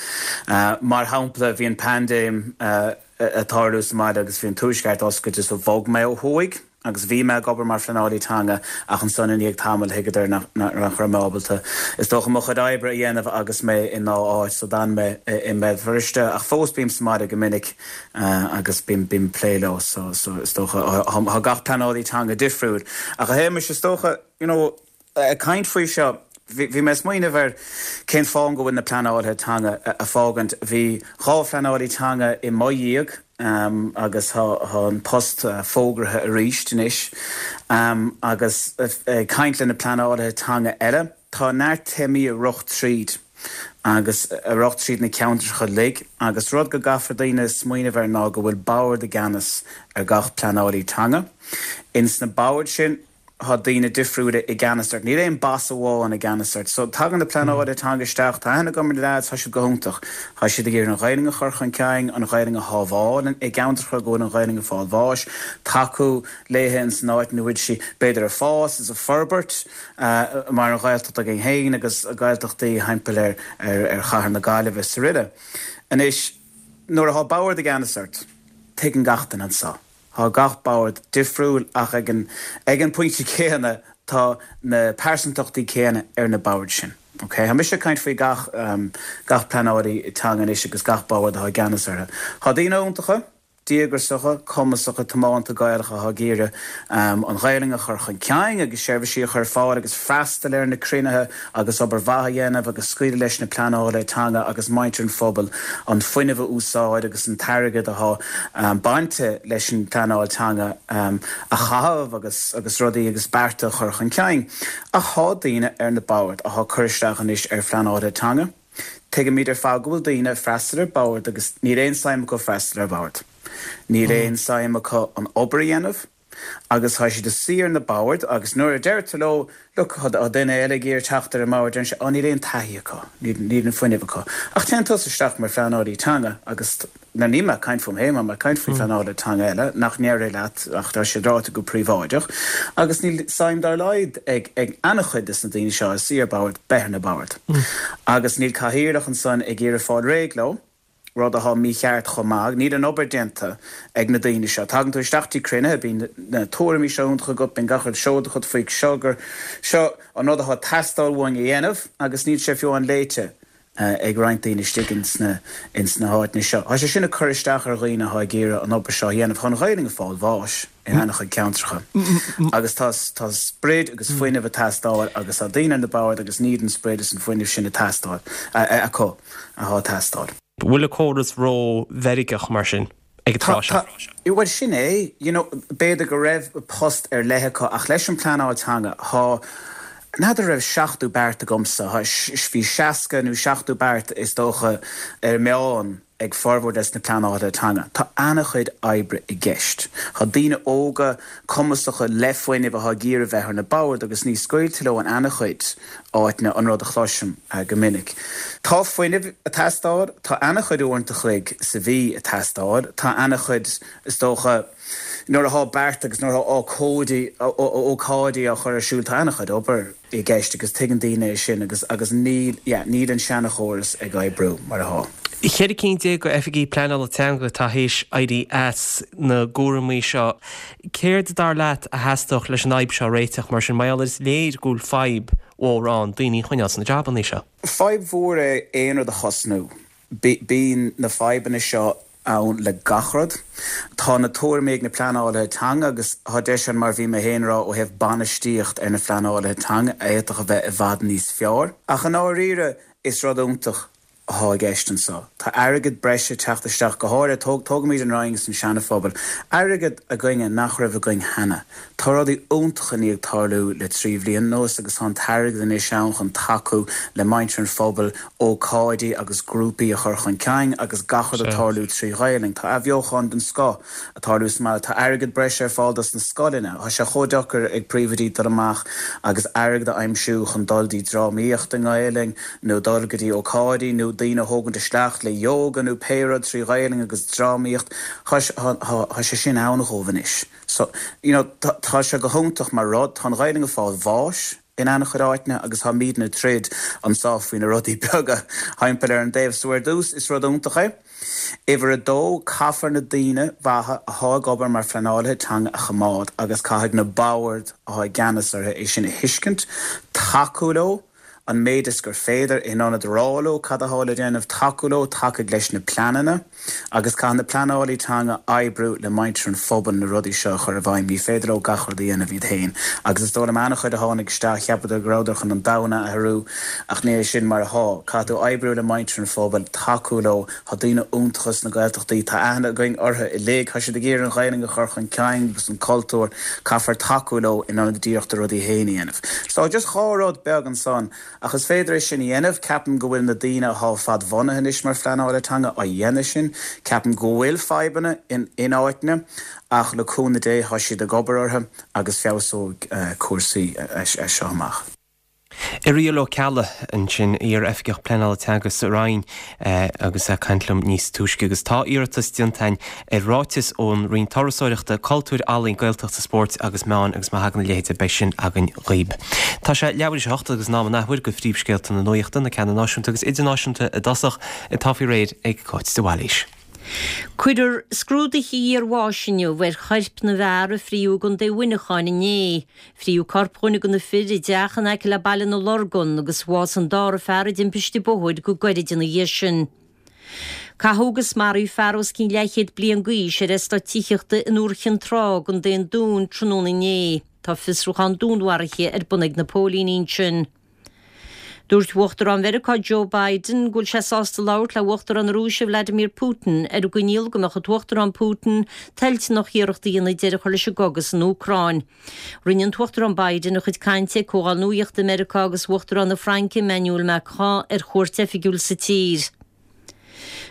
Mar shampla, bhí an paindéim ag tarlú sa mbaile agus bhí an Tuaisceart oscailte so bhog mé ó thuaidh. Agus bhí mé ag obair mar phleanálaí teanga ach ansan i ndiaidh tamaill thuigeadar nach raibh mé ábalta, is dócha, mo chuid oibre a dhéanamh agus mé i ndá áit so d'fhan mé i mBéal Feirste ach fós bím sa mbaile go minic agus bím ag plé leo so is dócha tá gach pleanálaí teanga difriúil. Ach a Shéamais, is dócha, you know, Ag caint faoi seo, bhí mé ag smaoineamh ar cén fáth go bhfuil na pleanálaithe teanga ag fágaint. Bhí 2 phleanálaí teanga i mo dhiaidh agus tá an post fógraithe arís anois. Agus ag caint le na pleanálaithe teanga eile, tá neart téamaí ag rith tríd agus ag rith tríd na ceantracha uilig agus rud go gcaithfear daoine smaoineamh air ná go bhfuil bord i gceannas ar gach pleanálaí teanga. Ins na boird sin, Tá daoine difriúla i gceannas ort. Níl aon boss amháin i gceannas ort. So, tagann na pleanálaithe teanga isteach, tá aithne agam ar na leaids, tá siad go hiontach. Tá siad ag iarraidh an Ghaelainn a chur chun cinn, an Ghaelainn a shábháil i gceantracha go bhfuil an Ghaelainn ag fáil bháis, tacú léithe ins an áit ina bhfuil sí b'fhéidir ag fás is ag forbairt mar an Ghaeltacht againn féin agus Gaeltachtaí thimpeall ar ar chathair na Gaillimhe is aroile. Anois, nuair atá bord i gceannas ort, tuigeann gach duine anso. Tá gach bord difriúil ach ag an ag an pointe céanna tá na pearsantachtaí céanna ar na boird sin. Ok? Tá mise ag caint faoi gach gach pleanálaí teanga anois agus gach bord atá i gceannas orthu. Tá daoine iontacha, díograsacha, cumasacha, tiomanta Gaelacha atá ag iarraidh an Ghaelainn a chur chun cinn agus seirbhísí a chur ar fáil agus freastal ar na cruinnithe agus obair mhaith a dhéanamh agus scaoileadh leis na pleanálaithe teanga agus muintir an phobail an fuinneamh a úsáid agus an t-airgead atá bainte leis an bpleanáil teanga a chaitheamh agus agus rudaí agus bearta a chur chun cinn. Ach thá daoine ar na boird athá ag cur isteach anois ar phleanálaithe teanga. Tuigimid ar fad go bhfuil daoine ag freastal ar bord agus níl aon suim acu freastal ar bhord. Níl aon suim acu an obair a dhéanamh. Agus tá siad ag suí ar na boird agus nuair a deir tú leo, look, tá duine eile ag iarraidh teacht ar an mbord, deireann sé, oh níl aon taithí acu, níl an fuinneamh acu. Ach téann tusa isteach mar phleanálaí teanga agus, now níl mé ag caint fúm féin, tá mé ag caint faoi phleanálaithe teanga eile nach ndéarfaidh leat ach tá siad ráite go príobháideach, agus níl suim dá laghad ag ag an-chuid des na daoine seo ag suí ar bord beith ar na boird. Agus níl cathaoirleach ansan ag iarraidh fáil réidh leo. rud atá mícheart chomh maith. Níl an obair déanta ag na daoine seo. Tagann tú isteach dtí cruinnithe, bíonn na tuairimí seo iontacha agat, bíonn gach rud seod agat faoi seo gur seo an rud atá ag teastáil uainn a dhéanamh agus níl sé fiú amháin léite ag roinnt daoine istigh ins na ins na háiteanna seo. Tá sé sin ag cur isteach ar dhaoine atá ag iarraidh an obair seo a dhéanamh. Tá an Ghaelainn ag fáil bháis in an-chuid ceantracha agus tá tá sprid agus fuinneamh ag teastáil agus tá daoine ar na boird agus níl an sprid is an fuinneamh sin ag teastáil acu. atá ag teastáil. Bhfuil an córas ró-mheirgeach mar sin ag an tráth seo? Bhuel, sin é. You know, b'fhéidir go raibh post ar leith acu ach leis an pleanáil teanga, thá, n'fheadar raibh 70 beart agamsa, thá, bhí 60 nó 70 beart is dócha ar an meán ag formhór des na pleanálaithe teanga. Tá ana-chuid oibre i gceist. Tá daoine óga, cumasacha, le fuinneamh atá ag iarraidh bheith ar na boird agus ní scaoiltear leo in ana-chuid áiteanna, an rud a chloisim go minic. Tá fuinneamh ag teastáil, tá ana-chuid uaireanta a chloig sa mhí ag teastáil, tá ana-chuid, is dócha, nuair athá beart agus nuair athá ócóidí, ócáidí á chur ar siúl, tá ana-chuid obair i gceist agus tuigeann daoine é sin agus, agus níl, yeah, níl an seana-chóras ag oibriú mar athá. 14 cinn d'oifigí pleanála teanga atá théis éirí as na gcúraimí seo. Céard, dar leat, a theastódh leis an fhadhb seo a réiteach mar sin? Mar gheall ar is léir go bhfuil fadhb mhór ann daoine a choinneáil sna jabannaí seo. Fadhb mhór é aon rud a thosnú. Bíonn na fadhbanna seo ann le gach rud. Tá na tuairimí ag na pleanálaithe teanga agus tá deis ann mar bhí mé féin a rá ó thaobh bainistíocht ar na pleanálaithe teanga a fhéadfadh a bheith i bhfad níos fearr. Ach i ndáiríre is rud iontach athá i gceist anso. Tá airgead breise ag teacht isteach, go háirithe, tóg, tógaimid an Rinn agus an Seana-Phobal, airgead againne nach raibh againn cheana. Tá rudaí iontacha i ndiaidh tarlú le 3 bhliain anuas agus tá an t-airgead anois ann chun tacú le muintir an phobail, ócáidí agus grúpaí a chur chun cinn agus gach rud ag tarlú trí Ghaelainn. Tá athbheochan den scoth ag tarlú sa mbaile. Tá airgead breise ar fáil dos na scoileanna. Tá sé chomh deacair ag príomhoidí dul amach agus airgead a aimsiú chun dul dtí drámaíocht i nGaelainn nó dul go dtí ócáidí nó daoine a thógaint isteach le yoga nó pé rud trí Ghaelainn agus drámaíocht. Tá sé sin ann dhóibh anois. So, you know, tá sé go hiontach mar rud. Tá an Ghaelainn ag fáil bháis. in an-chuid áiteanna agus táimidne ag troid anso faoi na rudaí beaga thimpeall ar an dtaobh. So ar dtús, is rud iontach é. Uimhir a dó, caithfear na daoine mhaithe athá ag obair mar phleanálaithe teanga a choimeád agus caithfidh na boird athá i gceannas orthu é sin a thuiscint, tacú leo, an méid is gur féidir, in ionad rá leo cad athá le déanamh, tacú leo, tacaigh leis na pleananna agus caithfidh na pleanálaí teanga oibriú le muintir an phobail na rudaí seo a chur i bhfeidhm. Ní féidir leo gach rud a dhéanamh iad féin agus is dóigh liom an-chuid a tháinig isteach, cheapadar go rabhadar chun an domhan a athrú ach ní hé sin mar athá. Caithfidh tú oibriú le muintir an phobail, tacú leo, tá daoine iontacha sna Gaeltachtaí, tá aithne againn orthu uilig, tá siad ag iarraidh an Ghaelainn a chur chun cinn agus an cultúr, caithfear tacú leo in ionad iarracht na rudaí féin a dhéanamh. So just dhá rud beag ansan, ach is féidir é sin a dhéanamh, ceapaim go bhfuil na daoine athá fadbhunaithe anois mar phleanálaithe teanga á dhéanamh sin, ceapaim go bhfuil fadhbanna in in áiteanna ach le cúnamh Dé tá siad ag obair orthu agus feabhsóidh cúrsaí as seo amach. Irial Ó Ceallaigh ansin, iar-Oifigeach Pleanála Teanga sa Roinn agus é ag caint liom níos túisce. Agus tá iarratas déanta againn ar ráiteas ón Roinn Turasóireachta, Cultúir, Ealaíon, Gaeltachta, Spóirt agus Meáin agus má thagann a leithéid beidh sin againn dhaoib. Tá sé leathuair théis a hocht agus in am an athuair do phríomhscéalta na nuachta, na ceanna náisiúnta agus idirnáisiúnta i dtosach, atá faoi réir ag Cáit de Bhailís. Cuirfear scrúduithe iarbháis inniu ar choirp na bhfear a fríodh i gContae Mhuineacháin inné. Fríodh corp dhuine de na fir i dteach in aice le Baile na Lorgan agus bhásaigh an dara fear i dtimpiste bóthair go gairid ina dhiaidh sin. Caitheadh agus maraíodh fear os cionn leathchéad bliain d'aois ar eastát tithíochta in Iúr Chinn Trá i gContae an Dúin tráthnóna inné. Tá fiosrúchán dúnmharaithe ar bun ag na póilíní ansin. Dúirt Uachtarán Mheiriceá Joe Biden go bhfuil sé sásta labhairt le Uachtarán na Rúise Vladimir Putin ar an gcoinníoll go mbeadh an tUachtarán Putin toilteanach iarracht a dhéanamh deireadh a chur leis an gcogadh san Úcráin. Rinne an tUachtarán Biden a chuid cainte ag Comhdháil Nuaíochta i Meiriceá agus Uachtarán na Fraince Emmanuel Macron ar chuairt oifigiúil sa tír.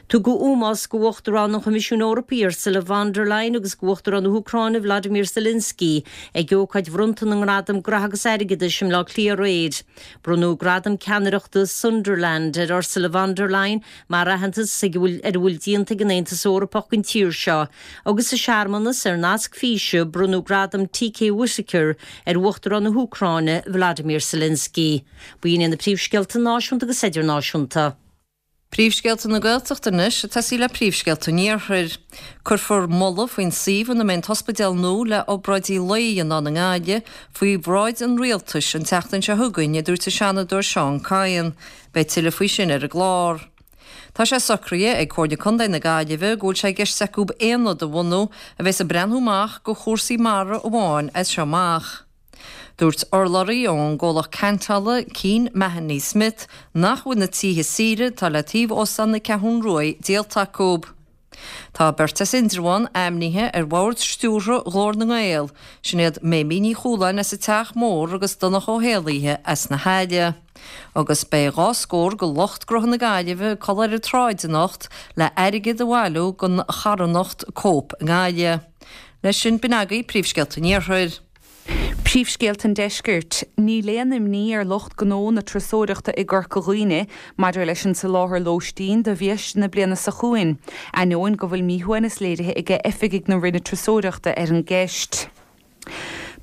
Tugadh ómós do Uachtarán an Choimisiúin Eorpaigh Ursula von der Leyen agus do Uachtarán na hÚcráine Volodymyr Zelensky ag ócáid bhronnta na nGradam Graithe agus Airgeadais i mBleá Cliath aréir. Bronnadh Gradam Ceannaireachta Sunderland ar Ursula von der Leyen mar aitheantas ag a bhfuil ar a bhfuil déanta ag an Aontas Eorpach don tír seo agus sa searmanas ar nasc físe bronnadh Gradam TK Whitaker ar Uachtarán na hÚcráine Volodymyr Zelensky. B'in iad na príomhscéalta náisiúnta agus idirnáisiúnta. Príomhscéalta na Gaeltachta anois, ag tosaí le príomhscéalta an Iarthair. Cuirfear moladh faoin suíomh ina mbeidh an t-ospidéal nua le obráidí lae a dhéanamh ann i nGaillimh faoi bhráid an Rialtais an tseachtain seo chugainn, a dúirt an Seanadóir Seán Kyne. Beidh tuilleadh faoi sin ar an gclár. Tá sé socraithe ag Comhairle Contae na Gaillimhe go bhfuil sé i gceist acu aonad a bhunú a bheas ag breathnú amach go chúrsaí mara amháin as seo amach. Dúirt urlabhraí ón gcomhlacht ceantála, Keane Mahony Smith, nach bhfuil na tithe saoire atá le taobh Óstán na Ceathrún Ruaidh díolta acu. Tá beirt as Indreabhán ainmnithe ar bhord stiúrtha Ghlór na nGael, sin iad Méimí Ní Chualáin as an Teach Mór agus Donncha Ó hÉallaithe as na hAille. Agus beidh dha scór de lucht gnótha na Gaillimhe ag codladh ar an tsráid anocht le airgead a bhailiú don charthanacht Cope i nGaillimh. Leis sin, b'in agaibh príomhscéalta an Iarthair. Príomhscéalta an Deiscirt. Níl aon imní ar lucht gnó na turasóireachta i gCorca Dhuibhne maidir leis an soláthar lóistín do bhiaiste na bliana seo chugainn, ainneoin go bhfuil míshuaimhneas léirithe aige oifigigh na Roinne Turasóireachta ar an gceist.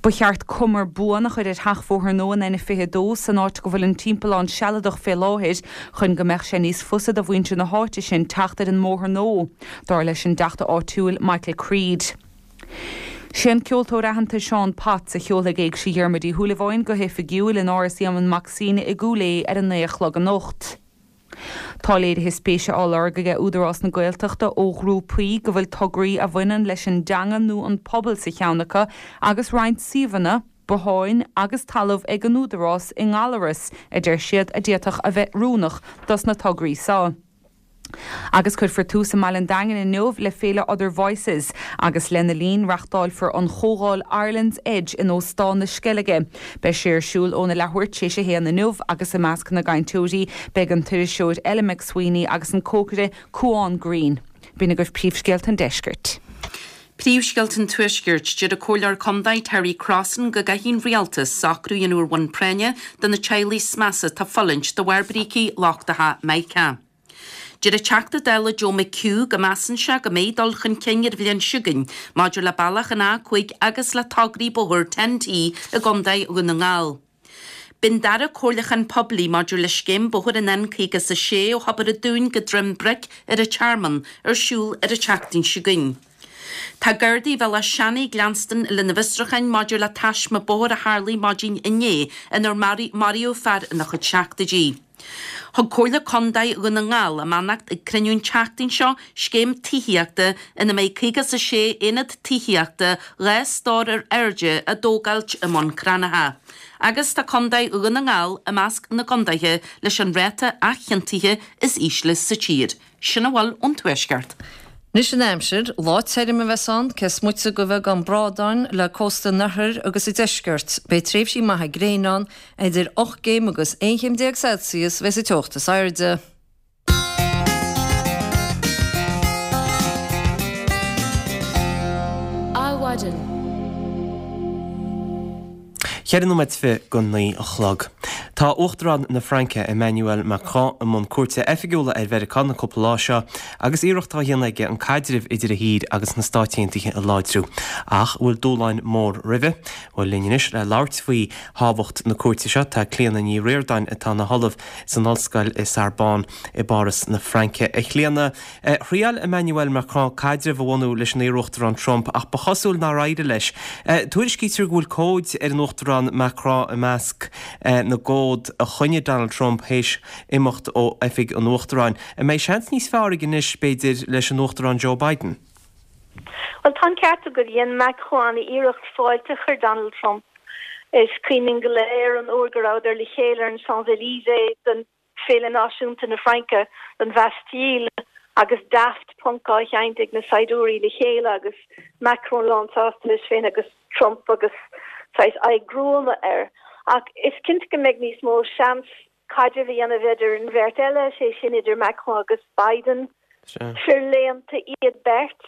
Ba cheart cumar buan a chur ar sheachbhóthar nua an N22 san áit go bhfuil an timpeallán sealadach fé láthair chun go mbeadh sé níos fusa do mhuintir na háite sin teacht ar an mbóthar nua, dar leis an dTeachta áitiúil Michael Creed. Sé an ceoltóir aitheanta Seán Potts a sheolfaidh Éigse Dhiarmuid Uí Shúilleabháin go hoifigiúil in Áras Éamonn Mac Suibhne i gCúil Aodha ar a naoi a chlog anocht. Tá léirithe spéise á lorg aige Údarás na Gaeltachta ó ghrúpaí go bhfuil tograí a bhaineann leis an dteanga nó an pobal sa cheann acu agus roinnt suíomhanna, botháin agus talamh ag an Údarás i nGallaras, a deir siad, a d'fhéadfadh a bheith oiriúnach dos na tograí seo. Agus cuirfear tús i mbaile an Daingin inniu le féile Other Voices agus lena linn reachtáilfear an chomhdháil Ireland's Edge in Óstán na Sceilge. Beidh sé ar siúl óna leathuair tar éis a haon inniu agus i measc na gcainteoirí beidh an t-iriseoir Ellen MacSweeney agus an cócaire Cúán Greene. B'in agaibh príomhscéalta an deiscirt. Príomhscéalta an Tuaiscirt, Deir an Comhairleoir Contae Terry Crossan go gcaithfidh an Rialtas socrú a dhéanamh ar bhonn práinne do na teaghlaigh is measa atá ag fulaingt de bharr brící lochtacha Mica. Deir an Teachta Dála Joe McHugh go measann sé go mbeidh dul chun cinn ar an bhliain seo chugainn maidir le bealach an A5 agus le tograí bóthair TEN-T i gContae Dhún na nGall. Beidh an dara comhairliúchán poiblí maidir le scéim bóthair an N56 ó Thobar an Dúin go Droim Bric ar an Tearmann ar siúl ar an tseachtain seo chugainn. Tá Gardaí Bhéal Átha Seanaidh ag leanstan lena bhfiosrúcháin maidir le taisme bóthair a tharlaigh maidin inné inar maraíodh fear ina chuid seachtóidí. Thug Comhairle Contae Dhún na nGall a mbeannacht ag cruinniú an tseachtain seo scéim tithíochta ina mbeidh 56 aonad tithíochta 2 stór ar airde á dtógáilt i mBun Cranncha. Agus tá Contae Dhún na nGall i measc na gcontaetha leis an ráta athchiontaithe is ísle sa tír. Sin a bhfuil ón Tuaisceart. Anois an aimsir, lá tirim a bheas ann, cé is moite de bheagán brádáin le cósta an oirthir agus an deiscirt. Beidh tréimhsí maithe gréine ann, idir 8 gcéim agus 11 chéim Celsius a bheas an teocht is airde. Adhmhaidin. 4 nóiméad 8:40 a chlog. Tá Uachtarán na Fraince, Emmanuel Macron, i mbun cuairte oifigiúla ar Mheiriceá na cúpla lá seo agus iarracht á dhéanamh aige an caidreamh idir a thír agus na Stáit Aontaithe a láidriú. Ach an bhfuil dúshláin mór roimhe? Bhuel, linn anois le labhairt faoi thábhacht na cuairte seo tá Clíona Ní Ríordáin atá ina hollamh san ollscoil i Sorbonne i bPáras na Fraince. A Chlíona, Thriail Emmanuel Macron caidreamh a bhunú leis an iarUachtarán Trump ach ba chosúil nár éirigh leis. Tuairiscítear go bhfuil comhaid ar an Uachtarán Macron i measc na gcomhad a choinnigh Donald Trump théis imeacht ó oifig an Uachtaráin. An mbeidh seans níos fearr aige anois, b'fhéidir, leis an Uachtarán Joe Biden? Bhuel, tá an ceart agat. Dhein Macron an-iarracht fáilte a chur Donald Trump. Is cuimhin linn go léir an uair go rabhadar le chéile ar an Champs-Élysées don Féile Náisiúnta na Fraince, don Bhastille, agus Daft Punk á sheinnt ag na saighdiúirí le chéile agus Macron lánsásta leis féin agus Trump agus saghas aghaidh gruama air. Ach is cinnte go mbeidh níos mó seans caidreamh a dhéanamh idir an bheirt eile, sé sin idir Macron agus Biden. Fir léannta iad beirt,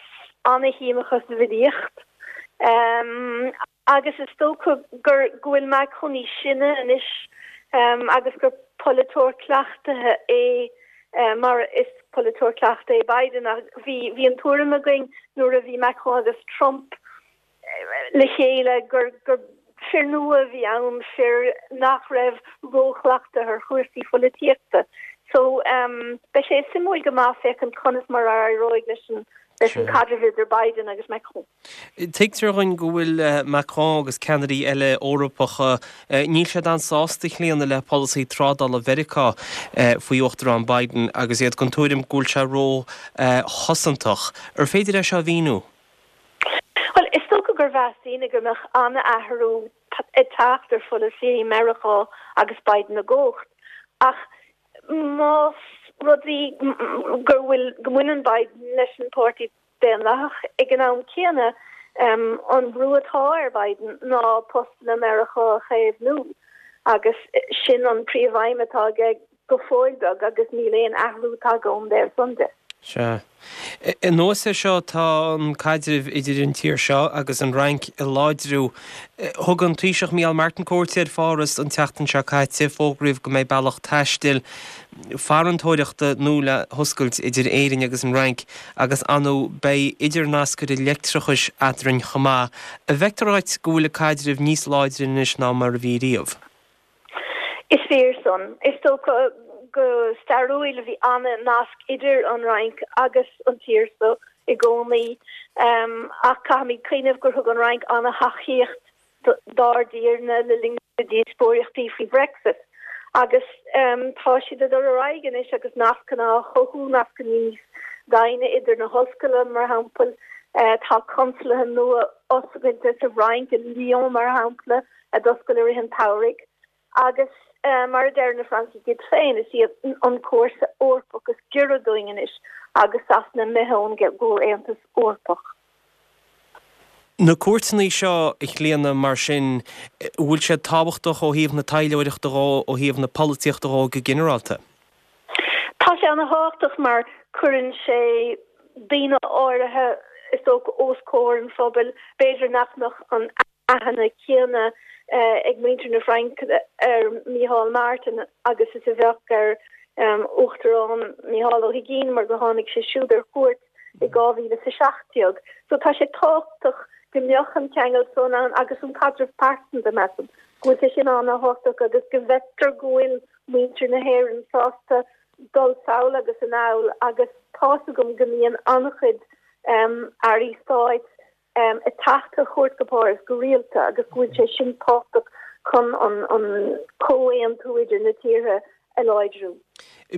ana-shuim acu sa bhfilíocht. Agus is dócha gur go bhfuil Macron níos sine anois agus gur polaiteoir cleachtaithe é mar is polaiteoir cleachtaithe é Biden ach bhí bhí an tuairim againn nuair a bhí Macron agus Trump le chéile gur gur fir nua a bhí ann, fir nach raibh róchleachtaithe ar chúrsaí pholaitíochta. So beidh sé suimiúil go maith féachaint conas mar a éireoidh leis an leis an caidreamh idir Biden agus Macron. Tuigtear dhúinn go bhfuil Macron agus ceannairí eile Eorpacha, níl siad an-sásta, a Chlíona, le polasaí trádála Mheiriceá faoi Uachtarán Biden agus iad den tuairim go bhfuil sé ró-chosantach. Ar féidir é seo a mhíniú? Bhuel, is dócha gur mheas daoine go mbeadh an-athrú ag teacht ar pholasaí Meiriceá agus Biden i gcumhacht. Ach más rud é go bhfuil, go mbaineann Biden leis an bPáirtí Daonlathach. Ag an am céanna, an brú atá ar Biden ná postanna Meiriceá a chaomhnú agus sin an príomhaidhm atá aige go fóill beag agus níl aon athrú tagtha ón dtaobh san de. Sea. Anuas air seo tá an caidreamh idir an tír seo agus an Fhrainc ag láidriú. Thug an Taoiseach Micheál Martin cuairt ar Pháras an tseachtain seo caite, fógraíodh go mbeidh bealach taistil, farantóireachta nua le hoscailt idir Éirinn agus an Fhrainc agus ar ndóigh beidh idirnascaire leictreachais eadrainn chomh maith. An bhfeictear dhuit go bhfuil an caidreamh níos láidre anois ná mar a bhí riamh? Is fíor san. Is dócha go stairiúil bhí an-nasc idir an Fhrainc agus an tír so i gcónaí ach caithfimid cuimhneamh gur thug an Fhrainc an-thacaíocht dár dtír-ne le linn na díospóireachtaí faoi Bhrexit agus tá siad ag dul ar aghaidh anois agus nascanna á chothú, nascanna níos doimhne idir na hollscoileanna mar shampla. Tá consalaithe nua oscailte sa Fhrainc, i Lyon mar shampla, a d'oscail i rith an tsamhraidh agus mar a deir na Francaigh iad féin, is iad an comharsa Eorpach is giorra dúinn anois agus Sasana imithe ón gComhaontas Eorpach. Na cuairteanna seo, a Chlíona, mar sin, an bhfuil siad tábhachtach ó thaobh na taidhleoireachta dhó, ó thaobh na polaitíochta dhó go ginearálta? Tá sé ana-thábhachtach mar cuireann sé daoine áirithe, is dócha, os comhair an phobail, b'fhéidir nach mbeadh an aithne chéanna ag muintir na Fraince ar Mícheál Martin agus is a bheadh ar Uachtarán Mícheál Ó hUigínn mar gur tháinig sé siúd ar cuairt i 2017. So tá sé tábhachtach go mbeadh an ceangal san ann agus an caidreamh pearsanta, measaim. go bhfuil sé sin an-thábhachtach agus go bhfeictear go bhfuil muintir na hÉireann sásta dul sall agus anall agus tá's agam go mbíonn an-chuid airí stáit ag teacht ar chuairt go Páras go rialta agus go bhfuil sé sin tábhachtach chun an comhaontú idir na tíortha a láidriú.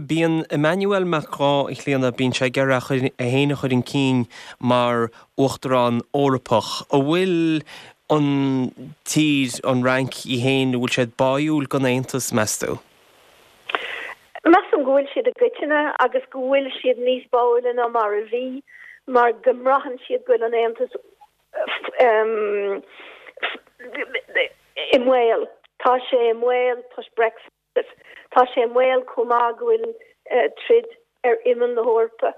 Bíonn Emmanuel Macron, a Chlíona, bíonn sé ag iarraidh é féin a chur chun cinn mar Uachtarán Eorpach. An bhfuil an tír, an Fhrainc í féin, an bhfuil siad báúil don Aontas, meas tú? Measaim go bhfuil siad i gcoitinne agus go bhfuil siad níos báúla ná mar a bhí mar go mbraitheann siad go bhfuil an Aontas i mbaol. Tá sé i mbaol toisc Brexit. Tá sé i mbaol chomh maith go bhfuil troid ar imeall na hEorpa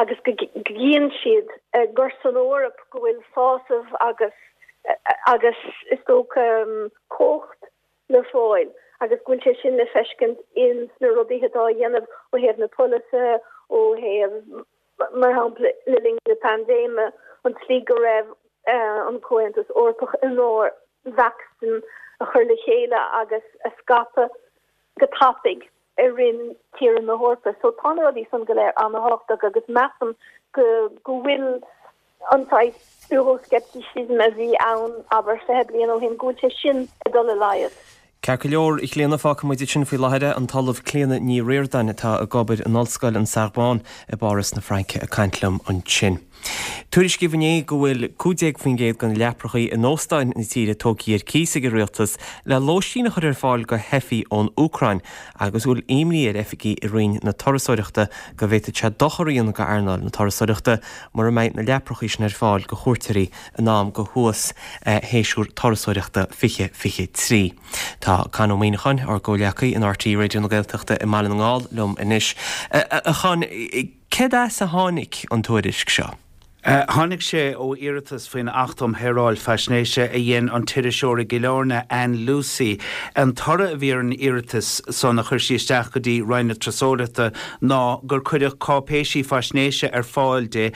agus go gcíonn siad gur san Eoraip go bhfuil sásamh agus agus is dócha cumhacht le fáil agus go bhfuil sé sin le feiscint ins na rudaí atá á dhéanamh ó thaobh na polasaithe, ó thaobh, mar shampla, le linn na paindéime, an tslí go raibh an Comhaontas Eorpach in ann vacsaín a chur le chéile agus a scaipeadh go tapaidh i roinnt tíortha na hEorpa. So tá na rudaí san go léir an-thábhachtach agus measaim go go bhfuil an saghas Euroscepticism a bhí ann, abair, 20 bliain ó shin, go bhfuil sé sin ag dul i laghad. Ceart go leor, a Chlíona, fágfaidh muid ansin faoi láthair é. An tOllamh Clíona Ní Ríordáin atá ag obair in Ollscoil an Sorbonne i bPáras na Fraince ag caint liom ansin. Tuairiscíodh inné go bhfuil 15% de na leaprachaí in óstáin na tíre tógtha ar cíos ag an rialtas le lóistín a chur ar fáil do theifigh ón Úcráin agus go bhfuil imní ar oifigigh i Roinn na Turasóireachta go bhféadfadh sé dochar a dhéanamh d'earnáil na turasóireachta mura mbeidh na leaprachaí sin ar fáil do chuairteoirí in am do shuas shéasúr turasóireachta 2023. Tá Con Ó Muíneacháin, ár gcomhghleacaí in RTÉ Raidió na Gaeltachta i mBaile na nGall liom anois. A Chon, céard as a tháinig an tuairisc seo? Tháinig sé ó iarratas faoin Acht um Shaoráil Faisnéise a dhein an t-iriseoir i gCill Airne, Ann Lucey. An toradh a bhí ar an iarratas san a chuir sí isteach go dtí Roinn na Turasóireachta ná gur cuireadh cáipéisí faisnéise ar fáil di,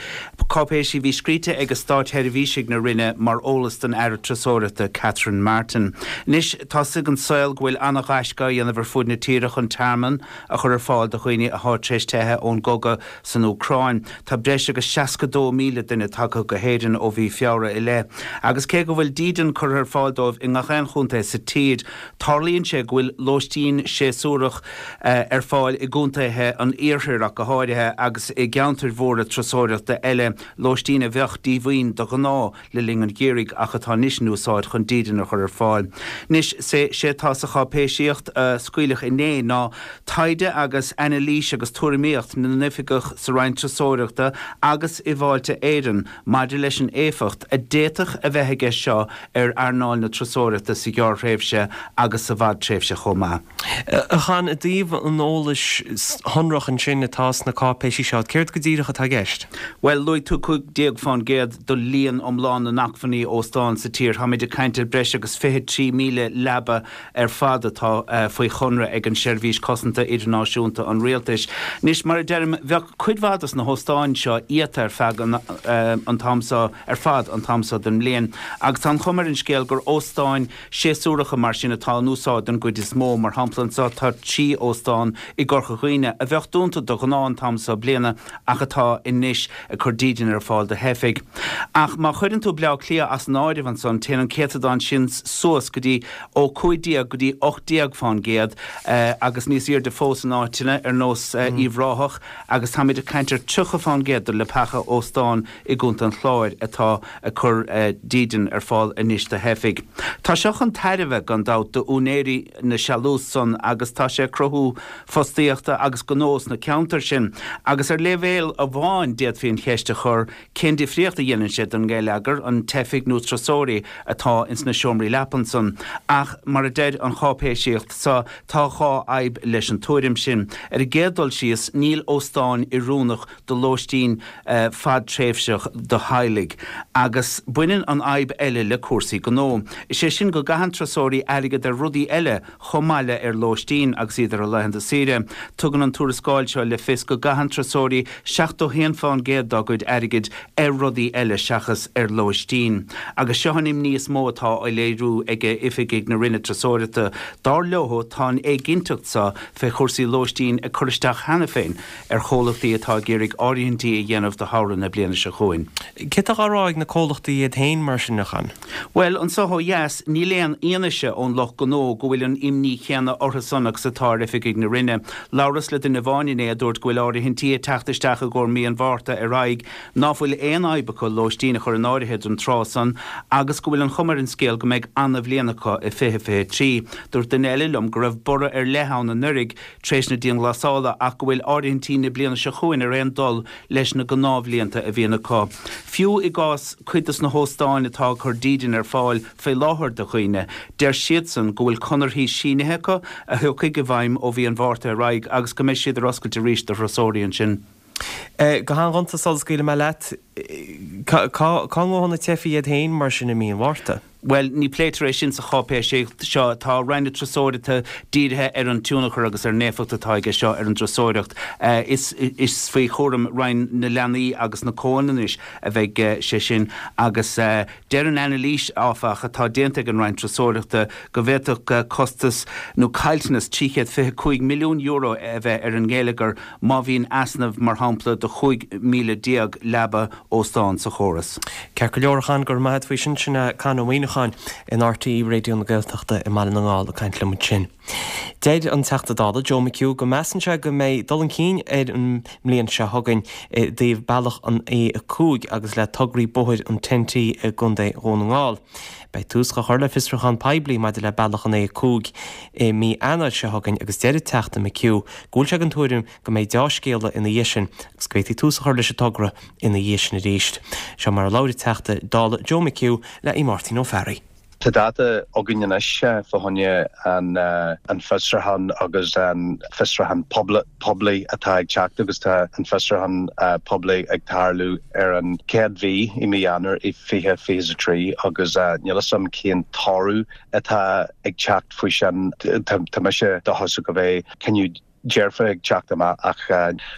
cáipéisí a bhí scríte ag státsheirbhísigh na Roinne mar eolas don Aire Turasóireachta, Catherine Martin. Anois tá 's ag an saol go bhfuil ana-ghaisce á dhéanamh ar fuaid na tíre chun tearmann a chur ar fáil do dhaoine athá tar éis teitheadh ón gcogadh san Úcráin. Tá breis agus 62,000 duine tagtha go hÉirinn ó mhí Feabhra i leith. Agus cé go bhfuil dídean curtha ar fáil dóibh i ngach aon chontae sa tír, tarlaíonn sé go bhfuil lóistín séasúrach ar fáil i gcontaetha an iarthair ach go háirithe agus i gceantair mhóra turasóireachta eile, lóistín a bheadh díomhaoin de ghnáth le linn an gheimhridh ach atá anois in úsáid chun dídean a chur ar fáil. Anois, sé atá sa cháipéisíocht a scaoileadh inné ná taighde agus anailís agus tuairimíocht na n-oifigeach sa Roinn Turasóireachta agus i bhFáilte Éireann maidir leis an éifeacht a d'fhéadfadh a bheith aige seo ar earnáil na turasóireachta sa ghearrthréimhse agus sa bhfadtréimhse chomh maith. A Chon, i dtaobh an eolais shonrach ansin atá sna cáipéisí seo, céard go díreach atá i gceist? Bhuel, luaigh tú 15% de líon iomlán na n-acmhainní óstán sa tír. Táimid ag caint ar breis agus 23,000 leaba ar fad atá faoi chonradh ag an Seirbhís Cosanta Idirnáisiúnta an Rialtais. Anois, mar a deirim, bheadh cuid mhaith dos na hóstáin seo iata ar feadh an t-am seo ar fad an t-am seo den mbliain agus tá an chuma ar an scéal gur óstáin séasúracha mar sin atá in úsáid don gcuid is mó. Mar shampla anseo tá 3 óstán i gCorca Dhuibhne a bheadh dúnta de ghnáth an t-am seo bliana ach atá anois ag cur dídean ar fáil do theifigh. Ach má chuireann tú Bleá Cliath as an áireamh ansan téann an céatadán sin suas go dtí ó 15 go dtí 18 fán gcéad agus níos airde fós in áiteanna ar nós Uíbh Ráthach agus táimid ag caint ar 30 fán gcéad de leapacha óstán i gContae an Chláir atá ag cur dídean ar fáil anois do theifigh. Tá seo chun tairbhe, gan dabht, d'úinéirí na sealús san agus tá sé ag cruthú fostaíochta agus gnó sna ceantair sin. Agus ar leibhéal amháin d'fhéadfaí an cheist a chur, cén difríocht a dhéanann sé don ngeilleagar, an teifigh nó turasóirí atá ins na seomraí leapan san? Ach mar a deir an cháipéisíocht so, tá dhá fhadhb leis an tuairim sin. Ar an gcéad dul síos, níl óstáin oiriúnach do lóistín fadtréimhseach. fadtréimhseach do theaghlaigh. Agus baineann an fhadhb eile le cúrsaí gnó. Is é sin go gcaitheann turasóirí airgead ar rudaí eile chomh maith le ar lóistín agus iad ar a laethanta saoire. Tugann an tuarascáil seo le fios go gcaitheann turasóirí 71 fán gcéad dá gcuid airgid ar rudaí eile seachas ar lóistín. Agus seo an imní is mó atá á léiriú ag oifigigh na Roinne Turasóireachta. Dar leo, tá an éiginnteacht seo fé chúrsaí lóistín ag cur isteach cheana féin ar chomhlachtaí atá ag iarraidh áirithintí a dhéanamh do shamhradh na bliana seo chugainn. Céard atá á rá ag na comhlachtaí iad féin mar sin, a Chon? Bhuel, anso ó dheas, níl aon fhianaise ón lucht gnó go bhfuil an imní chéanna orthu-san agus atá ar oifigigh na Roinne. Labhras le duine amháin inné a dúirt go bhfuil áirithintí ag teacht isteach i gcomhair mí an Mhárta ar aghaidh, ná fuil aon fhadhb acu lóistín a chur in áirithe don tráth san agus go bhfuil an chuma ar an scéal go mbeidh ana-bhliain acu i 2023. Dúirt duine eile liom go raibh borradh ar leith ann anuiridh tar éis na dianghlasála ach go bhfuil áirithintí na bliana seo chugainn ar aon dul leis na gnáthbhlianta a bhíonn acu. Fiú i gcás cuid dos na hóstáin atá ag cur dídean ar fáil faoi láthair do dhaoine, deir siadsan go bhfuil conarthaí sínithe acu a thiocfaidh i bhfeidhm ó mhí an Mhárta ar aghaidh agus go mbeidh siad ar oscailt arís do thurasóirí ansin. Go han-ghonta sula scaoilfidh mé leat, cá ngabhfaidh na teifigh iad féin mar sin i mí an Mhárta? Bhuel, ní pléitear é sin sa cháipéis seo. Tá Roinn na Turasóireachta dírithe ar an tionchar agus ar an éifeacht atá aige seo ar an dturasóireacht. Is is faoi chúram Roinn na Leanaí agus na Comhionannais a bheidh sé sin agus deir an anailís, áfach, atá déanta ag an Roinn Turasóireachta go bhféadfadh costas nó caillteanas €325 milliún a bheith ar an ngeilleagar má bhíonn easnamh, mar shampla, de 15,000 leaba óstán sa chóras. Ceart go leor, a Chon, go raibh maith agat faoi sin. Sin é Con Ó Muíneacháin in RTÉ Raidió na Gaeltachta i mBaile na nGall ag caint liom ansin. Deir an Teachta Dála Joe McHugh go measann sé go mbeidh dul chun cinn ar an mbliain seo chugainn i dtaobh bealach an A5 agus le tograí bóthair an TEN-T i gContae Dhún na nGall. Beidh tús á chur le fiosrúchán poiblí maidir le bealach an A5 i mí Eanáir seo chugainn agus deir an Teachta McHugh go bhfuil sé den tuairim go mbeidh deá-scéala ina dhiaidh sin agus go bhféadfaí tús a chur leis an togra ina dhiaidh sin arís. Seo mar a labhair an Teachta Dála Joe McHugh le Máirtín Ó Fearraigh. Tá dáta againn anois fá choinne an fiosrúchán agus an fiosrúchán poiblí atá ag teacht agus tá an fiosrúchán poiblí ag tarlú ar an chéad mhí i mí Eanáir i 2023 agus níl 'fhios a'm cén toradh atá ag teacht faoi sin. Tá mise dóchasach go mbeidh cinneadh dearfa ag teacht amach ach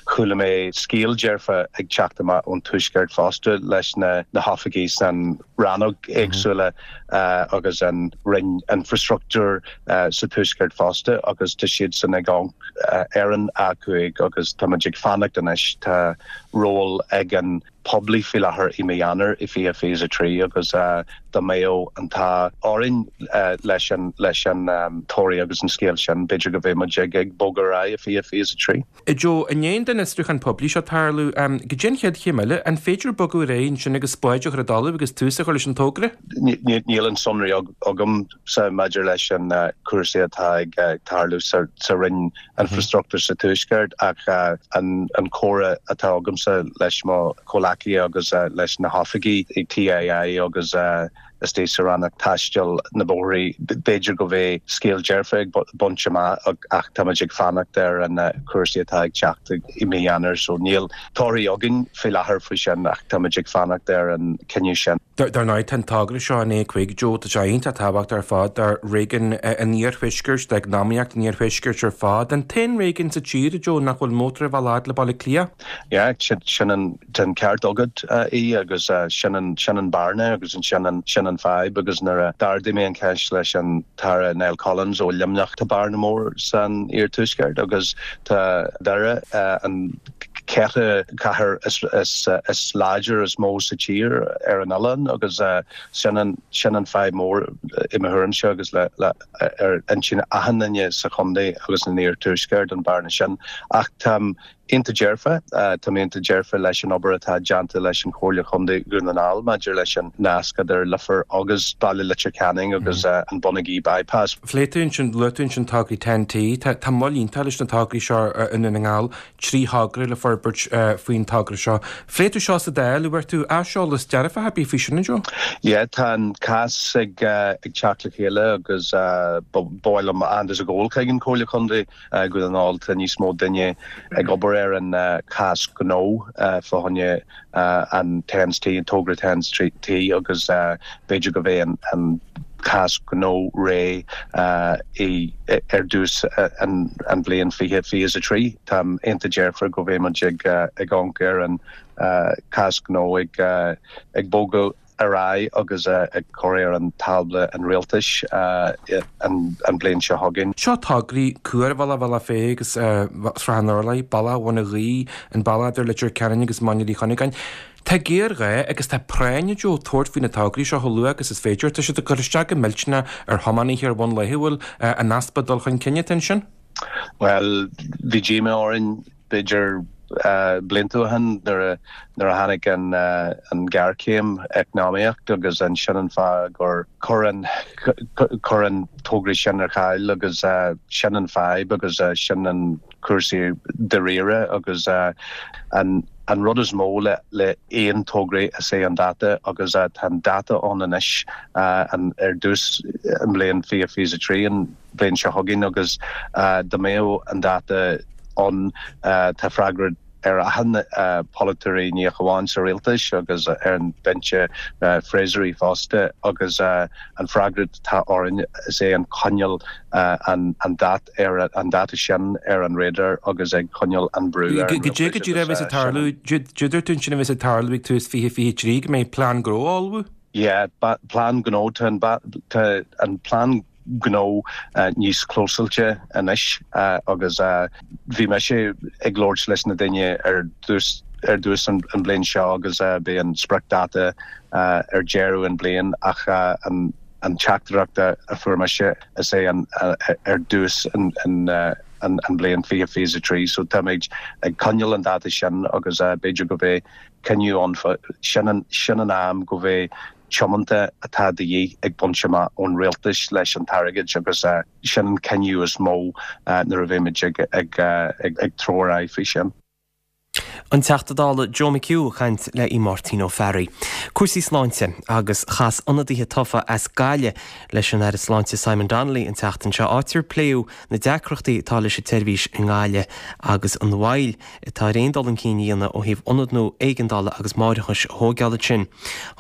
chuala mé scéal dearfa ag teacht amach ón Tuaisceart fosta leis na hoifigigh san rannóg éagsúla agus an Roinn Infreastruchtúir sa Tuaisceart fosta agus tá siadsan ag amharc ar an A5 agus táimid ag fanacht anois. Tá ról ag an poiblí faoi láthair i mí Eanáir i 2023 agus dá mbeadh an t-ádh orainn leis an leis an toradh agus an scéal sin, b'fhéidir go mbeidh muid ag ag bogadh ar aghaidh i 2023. A Joe, i ndiaidh don fhiosrúchán poiblí seo tarlú, goidé an chéad chéim eile? An féidir bogadh ar aghaidh ansin agus spáid a chur i dtalamh agus tús a chur leis an togra? Níl an sonraí agam. sa maidir leis an cúrsaí atá ag tarlú sa Roinn Infreastruchtúir sa Tuaisceart ach an comhrá atá agamsa leis mo chomhleacaithe agus leis na hoifigigh i TII agus istigh sa Rannóg Taistil na Bóithrí, b'fhéidir go mbeidh scéal dearfa ag baint amach ach táimid ag fanacht ar an cúrsaí atá ag teacht i mí Eanáir so níl torthaí againn faoi láthair faoi sin ach táimid ag fanacht ar an cinneadh sin. Dar ndóigh, tá an togra seo an A5, Joe, tá sé iontach tábhachtach ar fad do réigiún an iarthuaiscirt, d'eacnamaíocht an iarthuaiscirt ar fad. An t-aon réigiún sa tír, a Joe, nach bhfuil mótarbhealach fhad le Baile Átha Cliath? Yeah, sin an, tá an ceart agat, a Aoidh, agus sin an, sin an bearna agus sin an, sin an fadhb agus nuair a d'ardaigh mé an cheist leis an tAire Niall Collins ó Luimneach, tá bearna mór san iarthuaisceart agus tá Doire, an ceathrú cathair is láidir, is mó sa tír ar an oileán agus sin an sin an fadhb mór i mo thuairimse agus le le ar intinn achan duine sa chontae agus san iarthuaisceart an bearna sin. Ach táim iontach dearfa, táim iontach dearfa leis an obair atá déanta leis an Chomhairle Chontae Dhún na nGall maidir leis an nasc idir Leifear agus Baile Leitir Ceanainn agus an Bonagee Bypass. Phléigh tú ansin, luaigh tú ansin tograí TEN-T. Tá tá moill iontach leis na tograí seo i nDún na nGall. 3 thogra le forbairt. forbairt faoin togra seo. Phléigh tú seo sa Dáil, an bhfuair tú aiseolas dearfach ar bith faoi sin, a Joe? Yeah, tá an cás ag teacht le chéile agus ba mhaith liom aitheantas a ghabháil chuig an Chomhairle Contae Dhún na nGall. Tá níos mó duine ag obair ar an chás gnó fá choinne an Thames T, an togra Thames T agus b'fhéidir go mbeidh an cás gnó réidh ar dtús an bhliain 2023. Táim iontach dearfach go mbeidh muid ag amharc ar an cás gnó ag bogadh ar aghaidh agus ag cur ar an tábla an rialtais an bhliain seo chugainn. Seo tograí Cuarbhealach Bhealach Féich agus Srath an Urláir, Bealach Bhun an Ghaoith, an bealach idir Leitir Ceanainn agus Mainír Uí Chuinneagáin. Tá géarghá agus tá práinn, a Joe, tabhairt faoi na tograí seo chomh luath agus is féidir. Tá siad ag cur isteach go millteanach ar thiománaithe ar bhonn laethúil an easpa dul chun cinn atá ansin. Bhuel, bhí díomá orainn b'fhéidir blianta ó shin nuair a nuair a tháinig an an ghéarchéim eacnamaíocht agus ansin an fáth gur chuir an chuir an tograí sin ar ceal agus sin an fadhb agus sin an cúrsaí dáiríre agus an an rud is mó le le aon tograí is é an dáta agus tá an dáta ann anois an ar dtús an bhliain 2023 an bhliain seo chugainn agus dá mbeadh an dáta ann tá freagra ar achan polaiteoirí ní ach amháin sa rialtas agus ar an binse freasúra fosta agus an freagra atá orainn is é an coinneáil an dát ar an dáta sin ar an radar agus ag coinneáil an brú ar an rialtas agus sin. Cad é a bheas ag tarlú, dúirt tú ansin a bheas ag tarlú ag tús 2023 go mbeidh plean gnó á ullmhú? Yeah, plean gnó, tá an plean gnó níos clósáilte anois agus bhí mise ag labhairt leis na daoine ar dtús ar dtús an bhliain seo agus bhí an spriocdháta ar deireadh an bhliain ach an an teachtaireacht a fuair mise is é an ar dtús an an bhliain 2023 so táimid ag coinneáil an dáta sin agus b'fhéidir go mbeidh cinneadh ann sin an sin an am go mbeidh tiomanta atá de dhíth ag baint amach ón rialtas leis an t-airgead agus sin an cinneadh is mó nuair a bheimid ag ag ag treabhadh ar aghaidh faoi sin. An Teachta Dála Joe McHugh ag caint le Máirtín Ó Fearraigh. Cúrsaí sláinte agus chas ionadaithe tofa as Gaillimh leis an Aire Sláinte Simon Donnelly an tseachtain seo áit ar pléadh na deacrachtaí atá leis an tseirbhís i nGaillimh agus an mhoill atá ar aon dul chun cinn a dhéanamh ó thaobh ionad nua éigeandála agus máithreachais a thóigeáil ansin.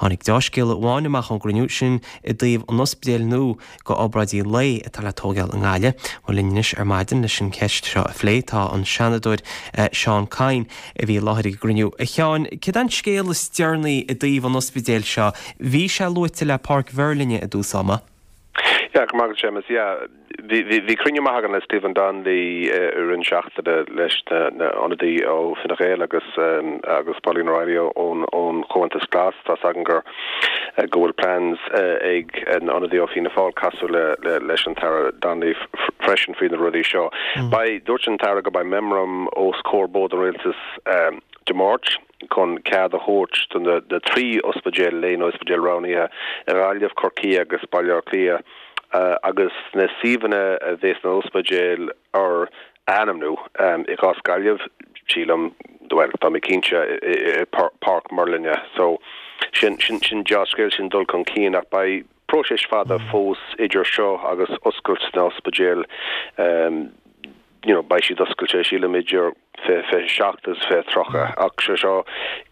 Tháinig deá-scéala amháin amach ón gcruinniú, sin i dtaobh an ospidéil nua go obráidí lae atá le tóigeáil i nGaillimh. Bhuel linn anois ar maidin leis an cheist seo a phlé tá an Seanadóir Seán Kyne a bhí i láthair ag an gcruinniú. A Sheáin, céard é an scéal is deireanaí i dtaobh an ospidéil seo? Bhí sé luaite le Páirc Mheirlinne i dtús ama. Yeah, go raibh maith agat Séamus. Yeah, bhí, bhí, bhí cruinniú maith againn le Stephen Donnelly i rith na seachtaine leis na, na ionadaí ó Fine Gael agus, agus Pauline O'Reilly ón, ón Chomhaontas Glas. Tá's againn gur, go bhfuil plans ag an ionadaí ó Fianna Fáil casadh le, le, leis an tAire Donnelly freisin faoi na rudaí seo. Beidh, dúirt an tAire go mbeidh memorandum os comhair Bord an Rialtais Dé Máirt. chun cead a thabhairt do na 3 ospidéal lae nó ospidéal roghnaithe i nGaillimh, Corcaigh agus Baile Átha Cliath agus na suíomhanna a bheas na ospidéil ar a ainmniú. I gcás Gaillimh, sílim, bhuel, tá mé cinnte, i Páirc Mhuirlinne. So, sin, sin, sin deá-scéal, sin dul chun cinn ach beidh próiseas fada fós idir seo agus oscailt na n-ospidéal. You know, beidh siad oscailte, sílim, idir 2027 agus 2030. Ach sé seo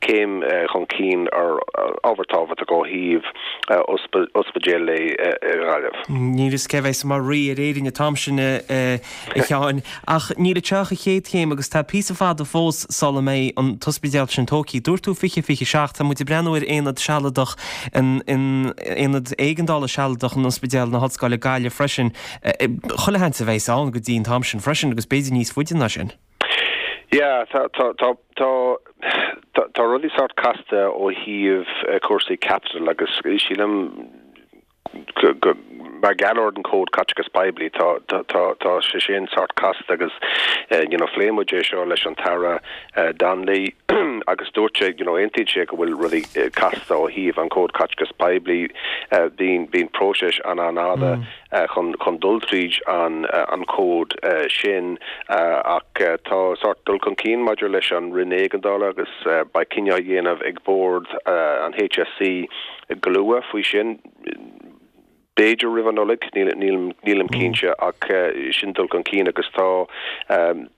céim chun cinn ar ábhar tábhachtach ó thaobh ospidéal lae i nGaillimh. Níl fhios cé bheas mar rí ar Éirinn an t-am sin a Sheáin, ach níl anseo ach an chéad chéim agus tá píosa fada fós sula mbeidh an t-ospidéal sin tógtha. Dúirt tú 2027, tá muid ag breathnú ar aonad sealadach, an aonad éigeandála sealadach in Ospidéal na hOllscoile Gaillimh freisin. Chuile sheans a bheas ann go dtí an t-am sin freisin agus b'fhéidir níos faide ná sin. Yeah, tá, tá, tá, tá, tá rudaí sórt casta ó thaobh cúrsaí caipitil agus sílim go, go, mar gheall ar an cód caiteachas poiblí, tá, tá, tá, tá sé sin sórt casta agus you know phléigh muid é seo leis an tAire Donnelly. agus dúirt sé, you know, aontaíonn sé go bhfuil rudaí casta ó thaobh an Cód Caiteachais Poiblí, bíonn, bíonn próiseas an-an-fhada chun, chun dul tríd an, an cód sin ach tá sórt dul chun cinn maidir leis an Roinn Éigeandála agus beidh cinneadh á dhéanamh ag Bord an HSC go luath faoi sin. B'fhéidir roimh an Nollaig, nílim cinnte, ach sin dul chun cinn agus tá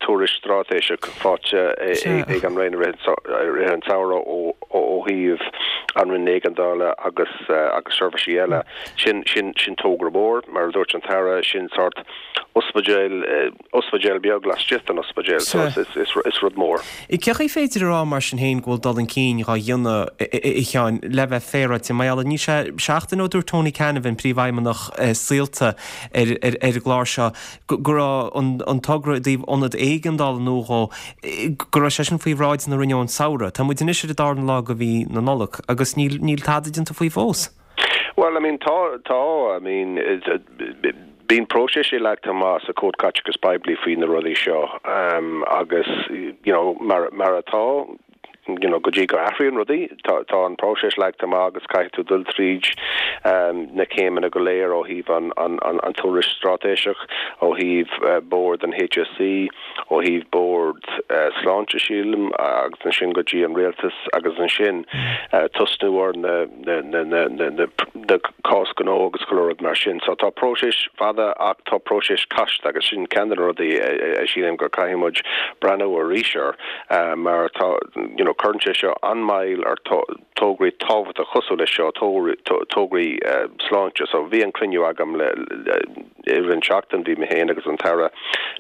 tuairisc straitéiseach faighte ag an Roinn i rith an tsamhraidh ó thaobh an Roinn Éigeandála agus seirbhísí eile. Sin togra mór, mar a dúirt an tAire, sin sórt ospidéal, ospidéal beag laistigh den ospidéal, so is rud mór. Cén chaoi féidir a rá mar sin féin go bhfuil dul chun cinn dhá dhéanamh, a Sheáin, le bheith féaráilte, mar gheall ar, níl sé seachtain ó dúirt Tony Canavan, Príomhfheidhmeannach Saolta ar an gclár seo, go raibh an togra i dtaobh ionad éigeandála nua dhó, go raibh sé sin faoi bhráid na Roinne ón samhradh. Tá muid anois ar an darna lá de mhí na Nollag agus níl tada déanta faoi fós. Bhuel, I mean, tá, tá, I mean, bíonn próiseas leagtha amach sa Chód Caiteachais Poiblí faoi na rudaí seo agus, you know, mar, mar atá, you know, go dtí go athraíonn rudaí, tá, tá an próiseas leagtha amach agus caithfidh tú dul tríd na céimeanna go léir ó thaobh an, an, an, an tuairisc straitéiseach, ó thaobh bord an HSC, ó thaobh bord sláinte, sílim, agus ansin go dtí an rialtas agus ansin tosnú ar na na cás gnó agus chuile rud mar sin. So tá próiseas fada ach tá próiseas casta agus sin ceann de na rudaí a sílim gur caithfidh muid breathnú arís air mar tá you know cuireann sé seo an-mhoill ar tograí tábhachtach cosúil leis seo, tograí sláinte. So bhí an cruinniú agam le i rith an tseachtain bhí mé féin agus an tAire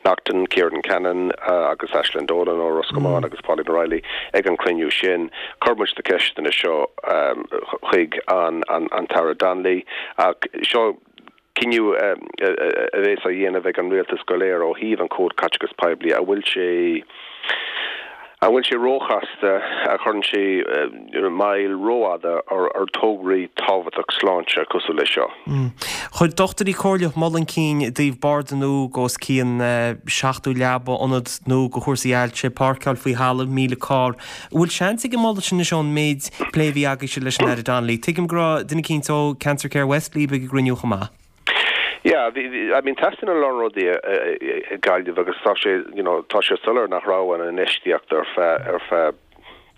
Naughten, Ciarán Cannon agus Aislinn Dolan ó Ros Comáin agus Pauline O'Reilly ag an cruinniú sin. Chuir muid na ceisteanna seo chuig an an tAire Donnelly ach seo cinneadh a bheas á dhéanamh ag an rialtas go léir ó thaobh an Cód Caiteachais Poiblí, an bhfuil sé an bhfuil sé róchasta, a chuireann sé moill rófhada ar tograí tábhachtach sláinte cosúil leis seo. Chuir dochtúirí comhairleach moladh chun cinn i dtaobh barda nua go os cionn 70 leaba, ionad nua go chúrsaí ailse, páirceáil faoi thalamh, 1,000 carr. An bhfuil seans ag an moladh sin anois ón méid plé a bhí agaibhse leis an Aire Donnelly? Tuigim go raibh duine eicínt ó Cancer Care West libh ag an gcruinniú chomh maith. Yeah, bhí, I mean teastaíonn a lán rudaí i Gaillimh agus tá sé, you know, tá sé soiléir nach raibh an infheistíocht ar feadh, ar feadh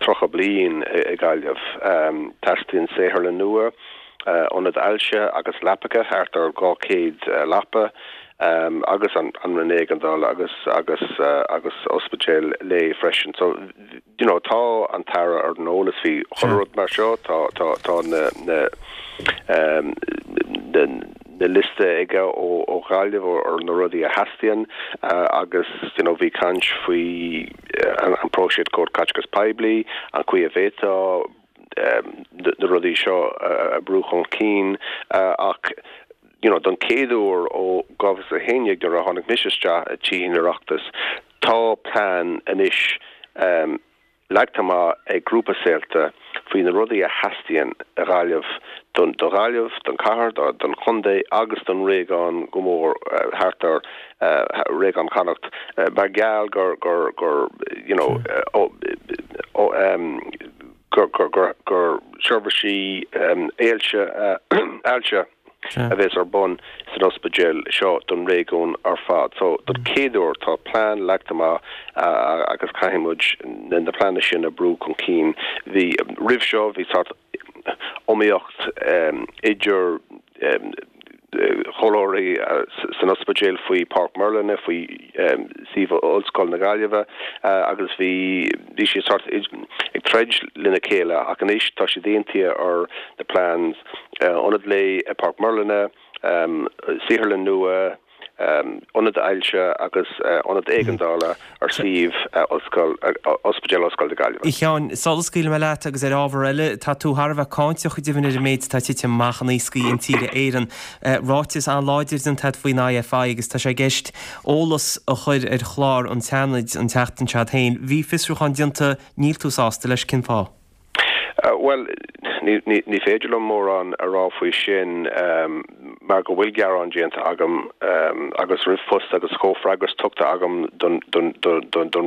30 bliain i Gaillimh. Teastaíonn saotharlann nua, ionad ailse agus leapacha, thart ar 200 leapa, agus an Roinn Éigeandála agus, agus, agus ospidéal lae freisin. So, you know, tá an tAire ar an eolas faoi chuile rud mar seo, tá, tá, tá na, na, na, na liosta aige ó, ó Ghaillimh ar na rudaí a theastaíonn agus, you know, bhí caint faoi an, an próiseas Cód Caiteachais Poiblí, an chaoi a bhféadfá na rudaí seo a brú chun cinn ach, you know, don chéad uair ó 2011 nuair a tháinig mise isteach i Tithe an Oireachtais, tá plean anois leagtha amach ag grúpa Saolta faoi na rudaí a theastaíonn i Ghaillimh don do Ghaillimh, don chathair, don chontae agus don réigiún go mór thart ar réigiún Chonnacht mar gheall gur gur gur you know gur gur gur gur seirbhísí ailse ailse a bheas ar bun san ospidéal seo don réigiún ar fad. So, don chéad uair tá plean leagtha amach agus caithfidh muid na pleananna sin a brú chun cinn. Bhí, roimh seo, bhí sórt iomaíocht idir chomhairleoirí san ospidéal faoi Páirc Merlin, faoi suíomh Ollscoil na Gaillimhe agus bhí bhí siad sórt ag troid lena chéile ach anois tá siad aontaithe ar na plans, ionad lae i Páirc Merlin, saotharlann nua, ionad ailse agus ionad éigeandála ar suíomh Ollscoil, Ospidéal Ollscoil na Gaillimhe. A Sheáin, sula scaoilfidh mé leat agus ar ábhar eile, tá tú thar a bheith cáinteach go deimhin ar an méid atá tite amach in Iascaigh Intíre Éireann. Ráiteas an-láidir déanta agat faoin IFI agus tá sé i gceist eolas a chur ar chlár an tSeanaid an tseachtain seo féin. Bhí fiosrúchán déanta, níl tú sásta leis, cén fáth? Bhuel, Ní féidir liom mórán a rá faoi sin mar go bhfuil gearán déanta agam agus ríomhphost agus comhfhreagras tugtha agam don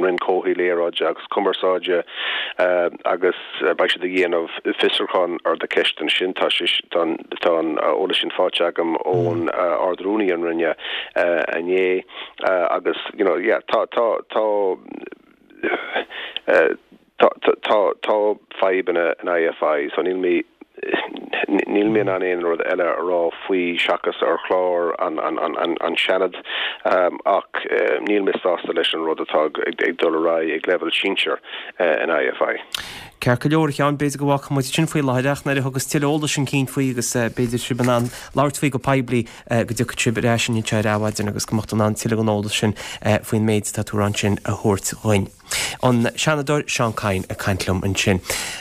Roinn Comhshaoil, Aeráide agus Cumarsáide agus beidh siad ag déanamh fiosrúchán ar na ceisteanna sin. Tá tá an eolas sin faighte agam ón Ard-Rúnaí an Roinne inné agus you know yeah tá tá tá Tá tá fadhbanna in IFI so níl mé níl mé in ann aon rud eile a rá faoi seachas ar chlár an an an Seanad ach níl mé sásta leis an rud atá ag dul ar aghaidh ag leibhéal sinsir in IFI. Ceart go leor, a Sheáin, b'fhéidir go bhfágfaidh muid sin faoi láthair ach nuair a thiocfas tuilleadh eolais chun cinn faoi agus b'fhéidir sibh in ann labhairt faoi go poiblí go dtiocfaidh sibh ar ais anseo ar Adhmhaidin agus go mbeadh tú in ann tuilleadh den eolas sin faoin méid atá tú a rá ansin a thabhairt dhuinn. An Seanadóir Seán Kyne ag caint liom ansin.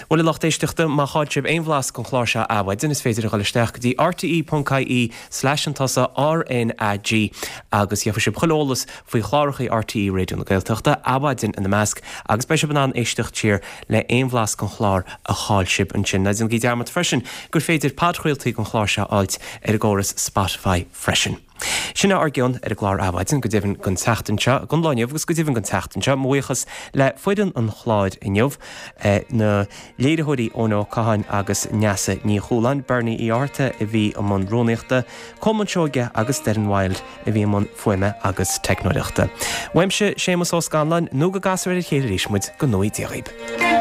Bhuel, a lucht éisteachta, má chaill sibh aon bhlas den chlár seo Adhmhaidin, is féidir a dhul isteach go dtí rte.ie slash an tusa RnaG agus gheobhaidh sibh chuile eolas faoi chlárachaí RTÉ Raidió na Gaeltachta, Adhmhaidin ina measc, agus beidh sibh in ann éisteacht siar le aon bhlas den chlár a chaill sibh ansin. Ná déanaigí dearmad freisin gur féidir podchraoltaí den chlár seo a fháilt ar an gcóras Spotify freisin. Sin é ár gcion ar an gclár Adhmhaidin, go deimhin don tseachtain seo, don lá inniu agus go deimhin don tseachtain seo. Mo bhuíochas le foireann an chláir inniu, na léiritheoirí Eoin Ó Catháin agus Neasa Ní Chualáin, Bernie Uí Fhátharta a bhí i mbun rúnaíochta, Colmán Seoige agus Darren Wilde a bhí i mbun fuaime agus teicneoireachta. Uaimse, Séamus Ó Scanláin, nó go gcasfar ar a chéile arís muid, go ngnóthaí Dia dhaoib.